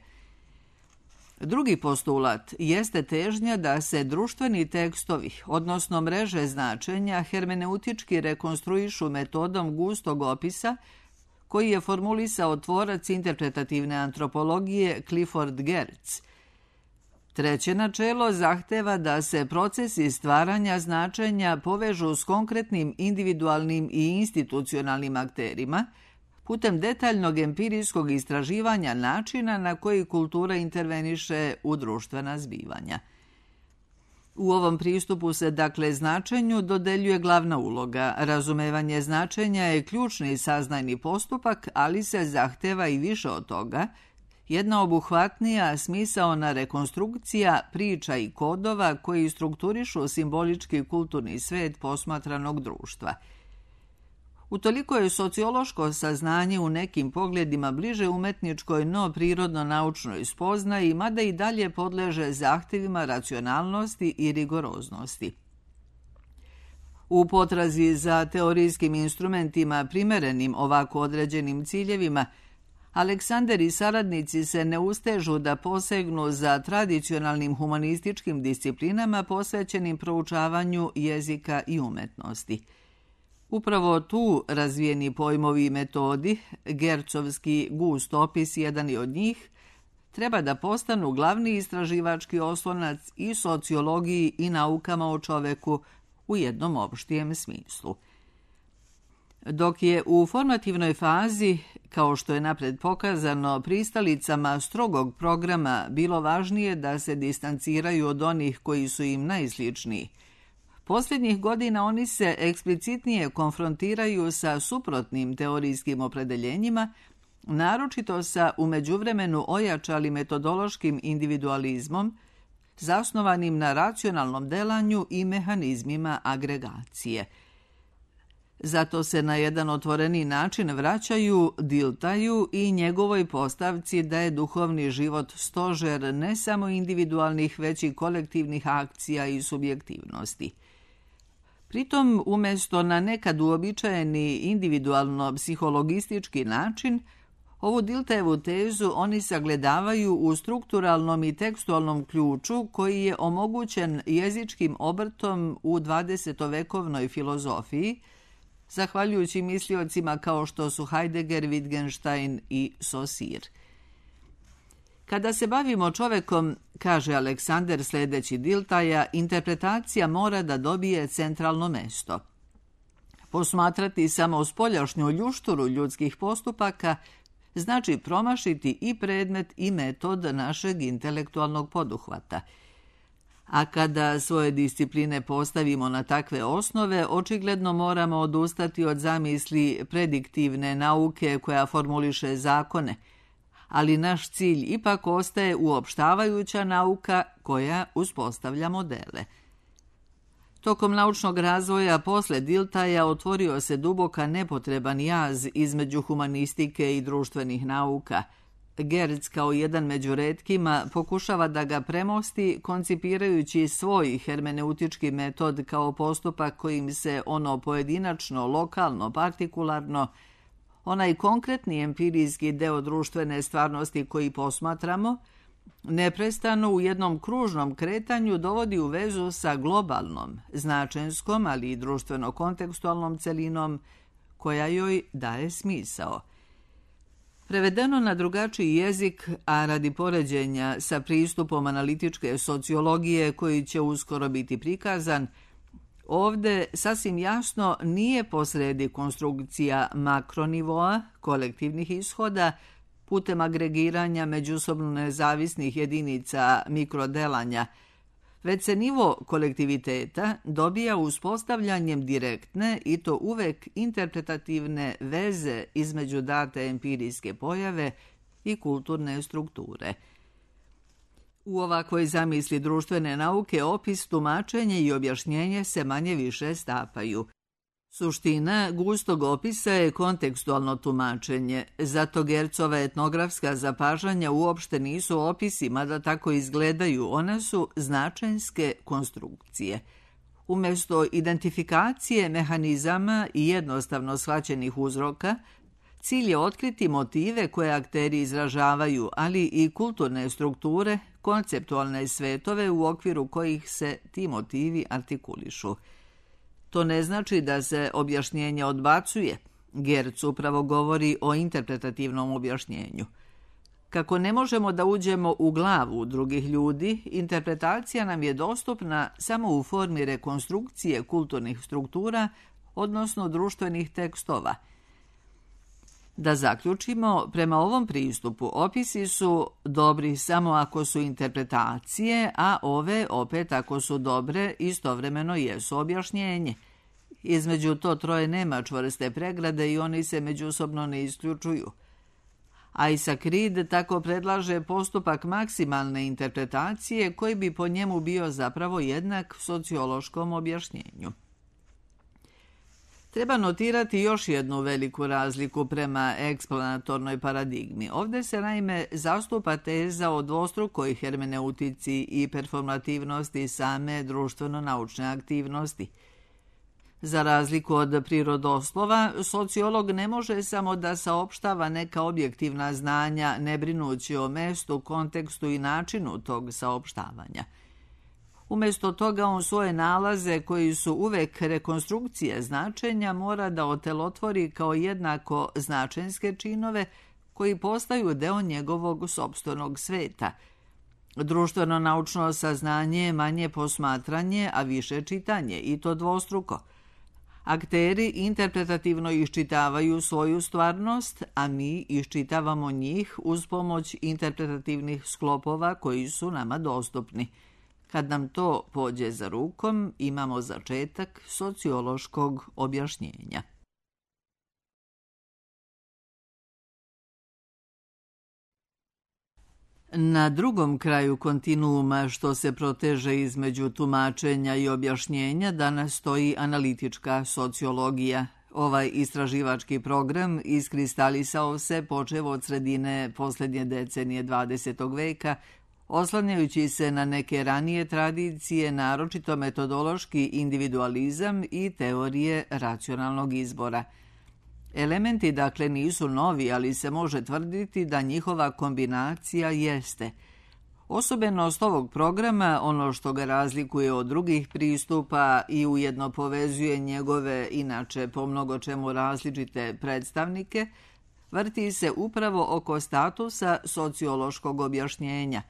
Drugi postulat jeste težnja da se društveni tekstovi, odnosno mreže značenja, hermeneutički rekonstruišu metodom gustog opisa koji je formulisao tvorac interpretativne antropologije Clifford Geertz. Treće načelo zahteva da se procesi stvaranja značenja povežu s konkretnim individualnim i institucionalnim akterima, putem detaljnog empirijskog istraživanja načina na koji kultura interveniše u društvena zbivanja. U ovom pristupu se, dakle, značenju dodeljuje glavna uloga. Razumevanje značenja je ključni saznajni postupak, ali se zahteva i više od toga, jedna obuhvatnija, smisaona rekonstrukcija priča i kodova koji strukturišu simbolički kulturni svet posmatranog društva. Utoliko je sociološko saznanje u nekim pogledima bliže umetničkoj, no prirodno-naučnoj spoznaji, mada i dalje podleže zahtevima racionalnosti i rigoroznosti. U potrazi za teorijskim instrumentima primerenim ovako određenim ciljevima, Aleksander i saradnici se ne ustežu da posegnu za tradicionalnim humanističkim disciplinama posvećenim proučavanju jezika i umetnosti. Upravo tu razvijeni pojmovi i metodi, Geertzovski gust opis jedan je od njih, treba da postanu glavni istraživački oslonac i sociologiji i naukama o čoveku u jednom opštijem smislu. Dok je u formativnoj fazi, kao što je napred pokazano, pristalicama strogog programa bilo važnije da se distanciraju od onih koji su im najsličniji, posljednjih godina oni se eksplicitnije konfrontiraju sa suprotnim teorijskim opredeljenjima, naročito sa u međuvremenu ojačalim metodološkim individualizmom, zasnovanim na racionalnom delanju i mehanizmima agregacije. Zato se na jedan otvoreni način vraćaju Diltaju i njegovoj postavci da je duhovni život stožer ne samo individualnih, već i kolektivnih akcija i subjektivnosti. Pritom, umjesto na nekad uobičajeni individualno-psihologistički način, ovu Diltajevu tezu oni sagledavaju u strukturalnom i tekstualnom ključu koji je omogućen jezičkim obrtom u dvadesetovekovnoj filozofiji, zahvaljujući misliocima kao što su Heidegger, Wittgenstein i Saussure. Kada se bavimo čovekom kaže Aleksander sledeći Diltaja, interpretacija mora da dobije centralno mesto. Posmatrati samo spoljašnju ljušturu ljudskih postupaka znači promašiti i predmet i metod našeg intelektualnog poduhvata. A kada svoje discipline postavimo na takve osnove, očigledno moramo odustati od zamisli prediktivne nauke koja formuliše zakone, ali naš cilj ipak ostaje uopštavajuća nauka koja uspostavlja modele. Tokom naučnog razvoja posle Diltaja otvorio se duboka nepotreban jaz između humanistike i društvenih nauka. Gertz kao jedan među retkima pokušava da ga premosti koncipirajući svoj hermeneutički metod kao postupak kojim se ono pojedinačno, lokalno, partikularno, onaj konkretni empirijski deo društvene stvarnosti koji posmatramo, neprestano u jednom kružnom kretanju dovodi u vezu sa globalnom, značenskom, ali i društveno-kontekstualnom celinom koja joj daje smisao. Prevedeno na drugačiji jezik, a radi poređenja sa pristupom analitičke sociologije koji će uskoro biti prikazan, ovde sasvim jasno nije posredi konstrukcija makronivoa, kolektivnih ishoda, putem agregiranja međusobno nezavisnih jedinica mikrodelanja, već se nivo kolektiviteta dobija uspostavljanjem direktne i to uvek interpretativne veze između date empirijske pojave i kulturne strukture. U ovakvoj zamisli društvene nauke opis, tumačenje i objašnjenje se manje više stapaju. Suština gustog opisa je kontekstualno tumačenje, zato Gertzova etnografska zapažanja uopšte nisu opisi, mada tako izgledaju, one su značenske konstrukcije. Umesto identifikacije mehanizama i jednostavno shvaćenih uzroka, cilj je otkriti motive koje akteri izražavaju, ali i kulturne strukture, konceptualne svetove u okviru kojih se ti motivi artikulišu. To ne znači da se objašnjenje odbacuje. Gertz upravo govori o interpretativnom objašnjenju. Kako ne možemo da uđemo u glavu drugih ljudi, interpretacija nam je dostupna samo u formi rekonstrukcije kulturnih struktura, odnosno društvenih tekstova. Da zaključimo, prema ovom pristupu opisi su dobri samo ako su interpretacije, a ove opet ako su dobre istovremeno jesu objašnjenje. Između to troje nema čvrste pregrade i oni se međusobno ne isključuju. Isaac Reed tako predlaže postupak maksimalne interpretacije koji bi po njemu bio zapravo jednak sociološkom objašnjenju. Treba notirati još jednu veliku razliku prema eksplanatornoj paradigmi. Ovde se naime zastupa teza o dvostrukoj hermeneutici i performativnosti same društveno-naučne aktivnosti. Za razliku od prirodoslova, sociolog ne može samo da saopštava neka objektivna znanja, ne brinući o mestu, kontekstu i načinu tog saopštavanja. Umesto toga on svoje nalaze, koji su uvek rekonstrukcije značenja, mora da otelotvori kao jednako značenske činove koji postaju deo njegovog sopstvenog sveta. Društveno-naučno saznanje je manje posmatranje, a više čitanje, i to dvostruko. Akteri interpretativno iščitavaju svoju stvarnost, a mi iščitavamo njih uz pomoć interpretativnih sklopova koji su nama dostupni. Kad nam to pođe za rukom, imamo začetak sociološkog objašnjenja. Na drugom kraju kontinuuma što se proteže između tumačenja i objašnjenja danas stoji analitička sociologija. Ovaj istraživački program iskristalisao se počev od sredine poslednje decenije dvadesetog veka, oslanjajući se na neke ranije tradicije, naročito metodološki individualizam i teorije racionalnog izbora. Elementi dakle nisu novi, ali se može tvrditi da njihova kombinacija jeste. Osobenost ovog programa, ono što ga razlikuje od drugih pristupa i ujedno povezuje njegove, inače po mnogo čemu različite predstavnike, vrti se upravo oko statusa sociološkog objašnjenja.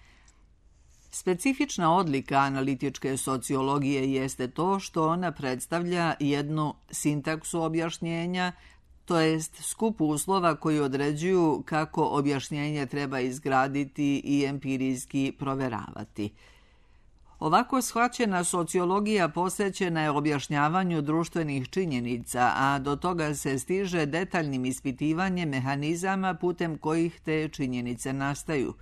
Specifična odlika analitičke sociologije jeste to što ona predstavlja jednu sintaksu objašnjenja, to jest skup uslova koji određuju kako objašnjenje treba izgraditi i empirijski proveravati. Ovako shvaćena sociologija posvećena je objašnjavanju društvenih činjenica, a do toga se stiže detaljnim ispitivanjem mehanizama putem kojih te činjenice nastaju.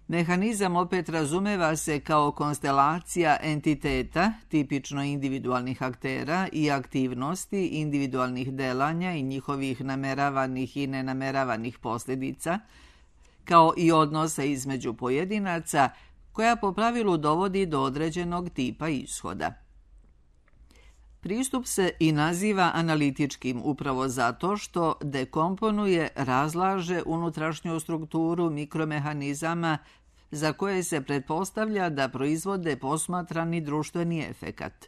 Mehanizam opet razumeva se kao konstelacija entiteta, tipično individualnih aktera i aktivnosti individualnih delanja i njihovih nameravanih i nenameravanih posljedica, kao i odnosa između pojedinaca, koja po pravilu dovodi do određenog tipa ishoda. Pristup se i naziva analitičkim upravo zato što dekomponuje, razlaže unutrašnju strukturu mikromehanizama za koje se pretpostavlja da proizvode posmatrani društveni efekat.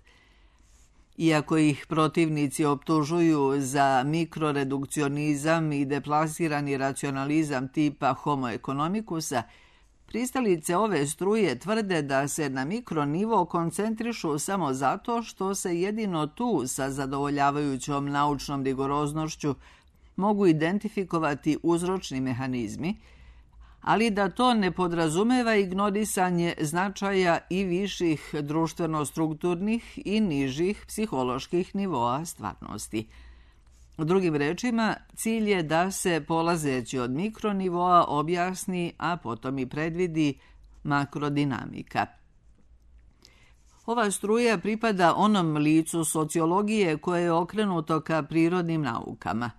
Iako ih protivnici optužuju za mikroredukcionizam i deplasirani racionalizam tipa homo economicusa, pristalice ove struje tvrde da se na mikronivo koncentrišu samo zato što se jedino tu sa zadovoljavajućom naučnom rigoroznošću mogu identifikovati uzročni mehanizmi, ali da to ne podrazumeva ignorisanje značaja i viših društveno-strukturnih i nižih psiholoških nivoa stvarnosti. Drugim rečima, cilj je da se, polazeći od mikronivoa, objasni, a potom i predvidi makrodinamika. Ova struja pripada onom licu sociologije koje je okrenuto ka prirodnim naukama.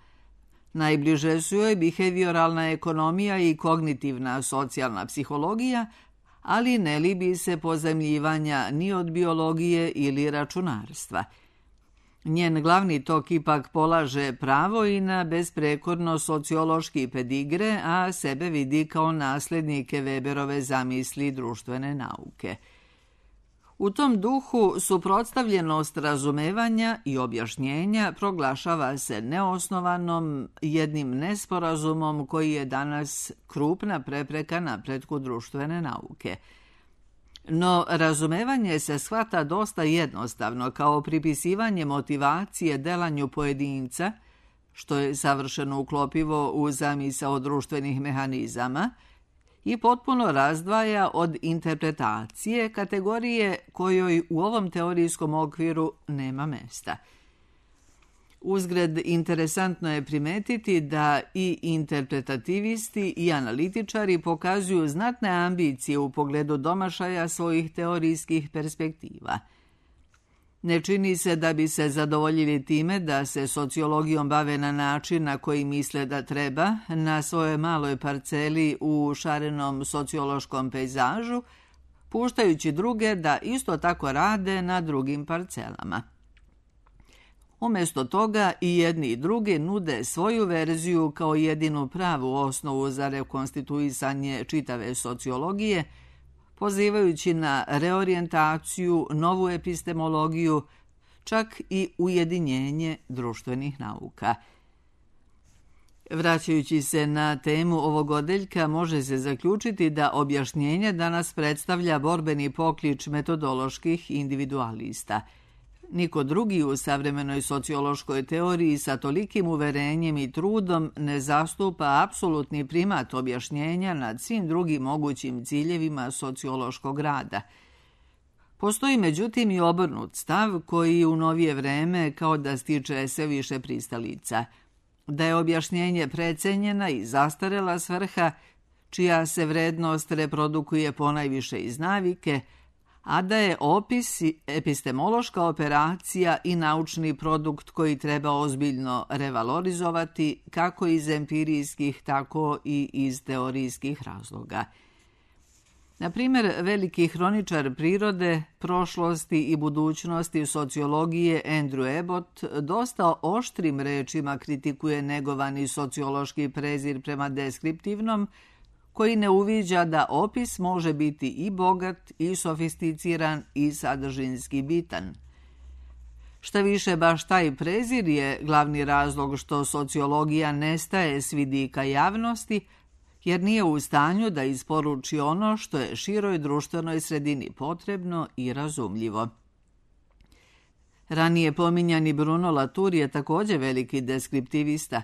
Najbliže su joj behavioralna ekonomija i kognitivna socijalna psihologija, ali ne libi se pozajmljivanja ni od biologije ili računarstva. Njen glavni tok ipak polaže pravo i na besprekorno sociološki pedigre, a sebe vidi kao nasljednike Weberove zamisli društvene nauke. U tom duhu suprotstavljenost razumevanja i objašnjenja proglašava se neosnovanom, jednim nesporazumom koji je danas krupna prepreka napretku društvene nauke. No, razumevanje se shvata dosta jednostavno kao pripisivanje motivacije delanju pojedinca, što je savršeno uklopivo u zamisao društvenih mehanizama, i potpuno razdvaja od interpretacije kategorije kojoj u ovom teorijskom okviru nema mesta. Uzgred, interesantno je primetiti da i interpretativisti i analitičari pokazuju znatne ambicije u pogledu domašaja svojih teorijskih perspektiva. Ne čini se da bi se zadovoljili time da se sociologijom bave na način na koji misle da treba, na svojoj maloj parceli u šarenom sociološkom pejzažu, puštajući druge da isto tako rade na drugim parcelama. Umjesto toga i jedni i drugi nude svoju verziju kao jedinu pravu osnovu za rekonstituisanje čitave sociologije, pozivajući na reorijentaciju, novu epistemologiju, čak i ujedinjenje društvenih nauka. Vraćajući se na temu ovog odeljka, može se zaključiti da objašnjenje danas predstavlja borbeni poklič metodoloških individualista. Niko drugi u savremenoj sociološkoj teoriji sa tolikim uverenjem i trudom ne zastupa apsolutni primat objašnjenja nad svim drugim mogućim ciljevima sociološkog rada. Postoji međutim i obrnut stav koji u novije vreme kao da stiče sve više pristalica, da je objašnjenje precenjena i zastarela svrha, čija se vrednost reprodukuje ponajviše iz navike, a da je opis epistemološka operacija i naučni produkt koji treba ozbiljno revalorizovati kako iz empirijskih, tako i iz teorijskih razloga. Na primjer, veliki hroničar prirode, prošlosti i budućnosti sociologije Andrew Abbott dosta oštrim rečima kritikuje negovani sociološki prezir prema deskriptivnom, koji ne uviđa da opis može biti i bogat, i sofisticiran, i sadržinski bitan. Šta više, baš taj prezir je glavni razlog što sociologija nestaje s vidika javnosti, jer nije u stanju da isporuči ono što je široj društvenoj sredini potrebno i razumljivo. Ranije pominjani Bruno Latour je također veliki deskriptivista.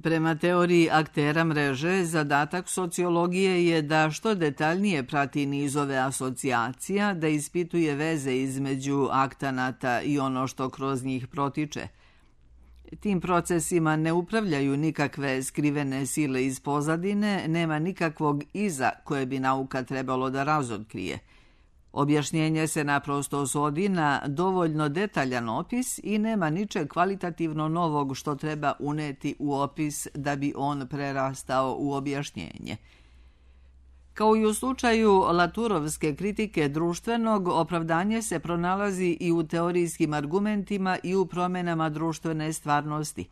Prema teoriji aktera mreže, zadatak sociologije je da što detaljnije prati nizove asocijacija, da ispituje veze između aktanata i ono što kroz njih protiče. Tim procesima ne upravljaju nikakve skrivene sile iz pozadine, nema nikakvog iza koje bi nauka trebalo da razotkrije. Objašnjenje se naprosto svodi na dovoljno detaljan opis i nema ničeg kvalitativno novog što treba uneti u opis da bi on prerastao u objašnjenje. Kao i u slučaju Latourovske kritike društvenog, opravdanje se pronalazi i u teorijskim argumentima i u promjenama društvene stvarnosti.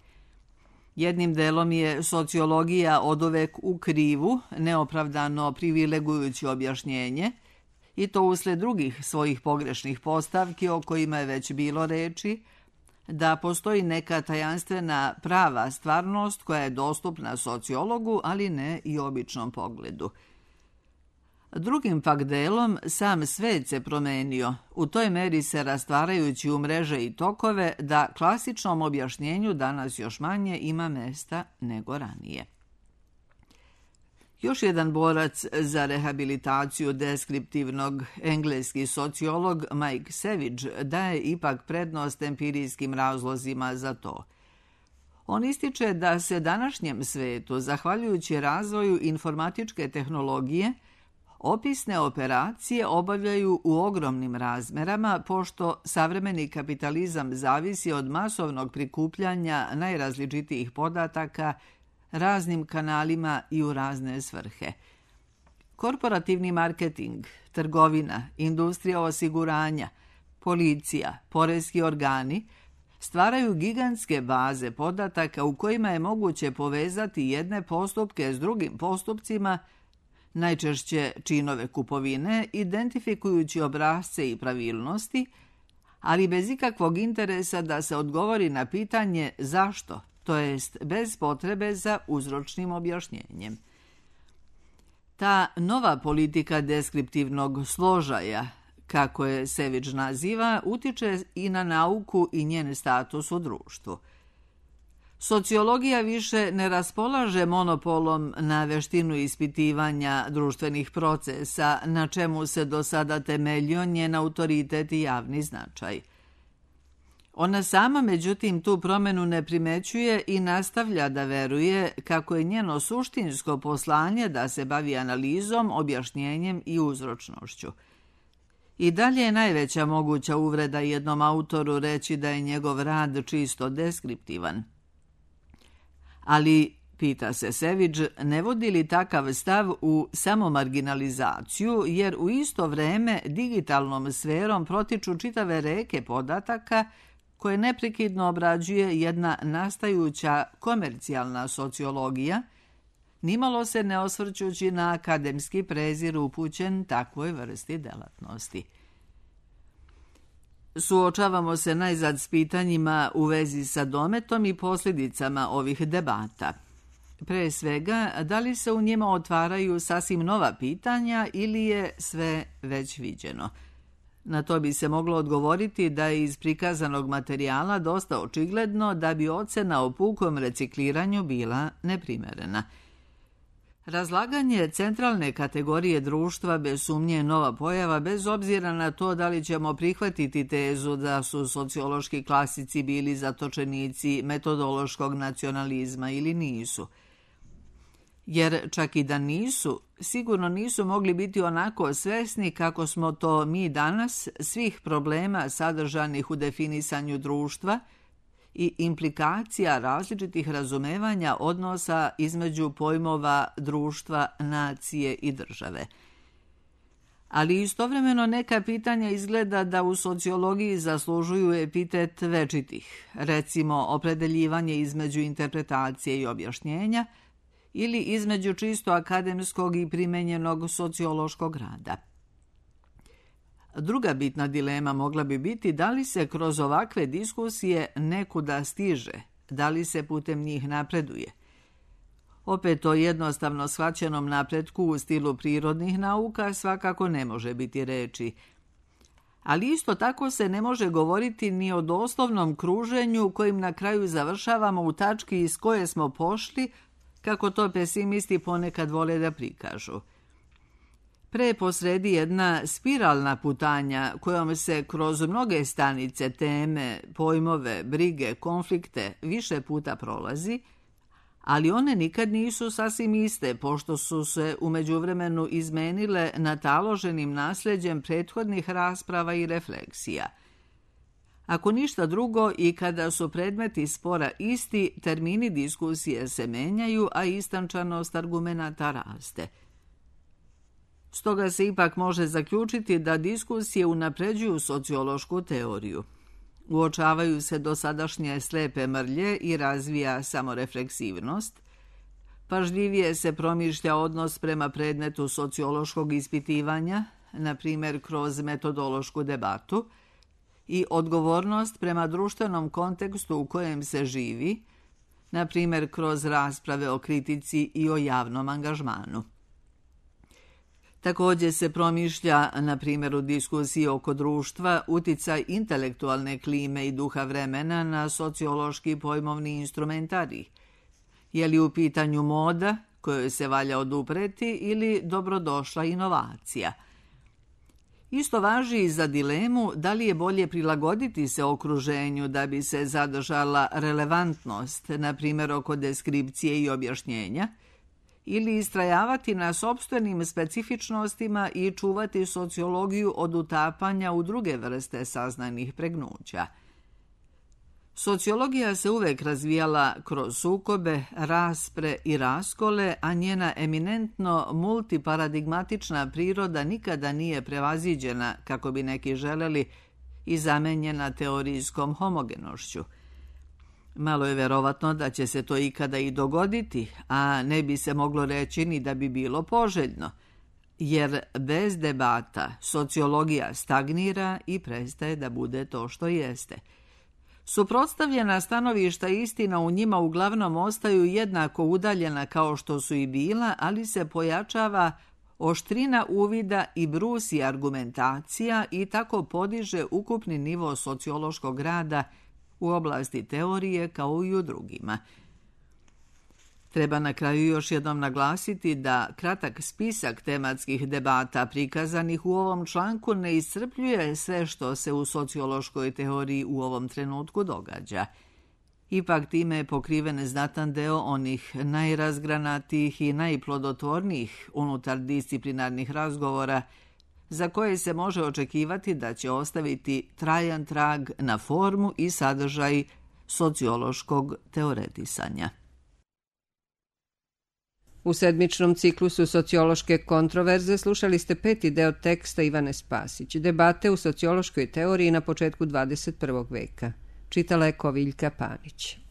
Jednim delom je sociologija oduvek u krivu, neopravdano privilegujući objašnjenje, i to usled drugih svojih pogrešnih postavki o kojima je već bilo reči, da postoji neka tajanstvena prava stvarnost koja je dostupna sociologu, ali ne i običnom pogledu. Drugim pak delom, sam svet se promenio, u toj meri se rastvarajući u mreže i tokove, da klasičnom objašnjenju danas još manje ima mesta nego ranije. Još jedan borac za rehabilitaciju deskriptivnog, engleski sociolog Mike Savage, daje ipak prednost empirijskim razlozima za to. On ističe da se današnjem svetu, zahvaljujući razvoju informatičke tehnologije, opisne operacije obavljaju u ogromnim razmerama, pošto savremeni kapitalizam zavisi od masovnog prikupljanja najrazličitijih podataka raznim kanalima i u razne svrhe. Korporativni marketing, trgovina, industrija osiguranja, policija, poreski organi stvaraju gigantske baze podataka u kojima je moguće povezati jedne postupke s drugim postupcima, najčešće činove kupovine, identifikujući obrasce i pravilnosti, ali bez ikakvog interesa da se odgovori na pitanje zašto, to jest bez potrebe za uzročnim objašnjenjem. Ta nova politika deskriptivnog složaja, kako je Savage naziva, utiče i na nauku i njen status u društvu. Sociologija više ne raspolaže monopolom na veštinu ispitivanja društvenih procesa, na čemu se do sada temeljio njen autoritet i javni značaj. Ona sama, međutim, tu promjenu ne primećuje i nastavlja da veruje kako je njeno suštinsko poslanje da se bavi analizom, objašnjenjem i uzročnošću. I dalje je najveća moguća uvreda jednom autoru reći da je njegov rad čisto deskriptivan. Ali, pita se Savage, ne vodi li takav stav u samomarginalizaciju, jer u isto vreme digitalnom sferom protiču čitave reke podataka koje neprekidno obrađuje jedna nastajuća komercijalna sociologija, nimalo se ne osvrćući na akademski prezir upućen takvoj vrsti delatnosti. Suočavamo se najzad s pitanjima u vezi sa dometom i posljedicama ovih debata. Pre svega, da li se u njima otvaraju sasvim nova pitanja ili je sve već viđeno? Na to bi se moglo odgovoriti da je iz prikazanog materijala dosta očigledno da bi ocena o pukom recikliranju bila neprimerena. Razlaganje centralne kategorije društva bez sumnje je nova pojava, bez obzira na to da li ćemo prihvatiti tezu da su sociološki klasici bili zatočenici metodološkog nacionalizma ili nisu. Jer čak i da nisu, sigurno nisu mogli biti onako svesni kako smo to mi danas svih problema sadržanih u definisanju društva i implikacija različitih razumevanja odnosa između pojmova društva, nacije i države. Ali istovremeno neka pitanja izgleda da u sociologiji zaslužuju epitet večitih, recimo opredeljivanje između interpretacije i objašnjenja ili između čisto akademskog i primenjenog sociološkog rada. Druga bitna dilema mogla bi biti da li se kroz ovakve diskusije nekuda stiže, da li se putem njih napreduje. Opet o jednostavno shvaćenom napretku u stilu prirodnih nauka svakako ne može biti reči. Ali isto tako se ne može govoriti ni o doslovnom kruženju kojim na kraju završavamo u tački iz koje smo pošli, kako to pesimisti ponekad vole da prikažu. Pre posredi jedna spiralna putanja kojom se kroz mnoge stanice, teme, pojmove, brige, konflikte više puta prolazi, ali one nikad nisu sasvim iste, pošto su se u međuvremenu izmenile nataloženim nasljeđem prethodnih rasprava i refleksija. Ako ništa drugo, i kada su predmeti spora isti, termini diskusije se menjaju, a istančanost argumenata raste. Stoga se ipak može zaključiti da diskusije unapređuju sociološku teoriju. Uočavaju se dosadašnje slepe mrlje i razvija samorefleksivnost. Pažljivije se promišlja odnos prema predmetu sociološkog ispitivanja, na primjer kroz metodološku debatu, i odgovornost prema društvenom kontekstu u kojem se živi, na primjer kroz rasprave o kritici i o javnom angažmanu. Također se promišlja, na primjer u diskusiji oko društva, uticaj intelektualne klime i duha vremena na sociološki pojmovni instrumentarij. Je li u pitanju moda, kojoj se valja odupreti, ili dobrodošla inovacija? Isto važi i za dilemu da li je bolje prilagoditi se okruženju da bi se zadržala relevantnost, na primjer oko deskripcije i objašnjenja, ili istrajavati na sopstvenim specifičnostima i čuvati sociologiju od utapanja u druge vrste saznanih pregnuća. Sociologija se uvek razvijala kroz sukobe, raspre i raskole, a njena eminentno multiparadigmatična priroda nikada nije prevaziđena, kako bi neki želeli, i zamenjena teorijskom homogenošću. Malo je verovatno da će se to ikada i dogoditi, a ne bi se moglo reći ni da bi bilo poželjno, jer bez debata sociologija stagnira i prestaje da bude to što jeste. Suprotstavljena stanovišta i istina u njima uglavnom ostaju jednako udaljena kao što su i bila, ali se pojačava oštrina uvida i brusi argumentacija i tako podiže ukupni nivo sociološkog rada u oblasti teorije kao i u drugima. Treba na kraju još jednom naglasiti da kratak spisak tematskih debata prikazanih u ovom članku ne iscrpljuje sve što se u sociološkoj teoriji u ovom trenutku događa. Ipak time je pokriven znatan deo onih najrazgranatijih i najplodotvornijih unutar disciplinarnih razgovora za koje se može očekivati da će ostaviti trajan trag na formu i sadržaj sociološkog teoretisanja. U sedmičnom ciklusu sociološke kontroverze slušali ste peti deo teksta Ivane Spasić, debate u sociološkoj teoriji na početku dvadeset prvog veka. Čitala je Koviljka Panić.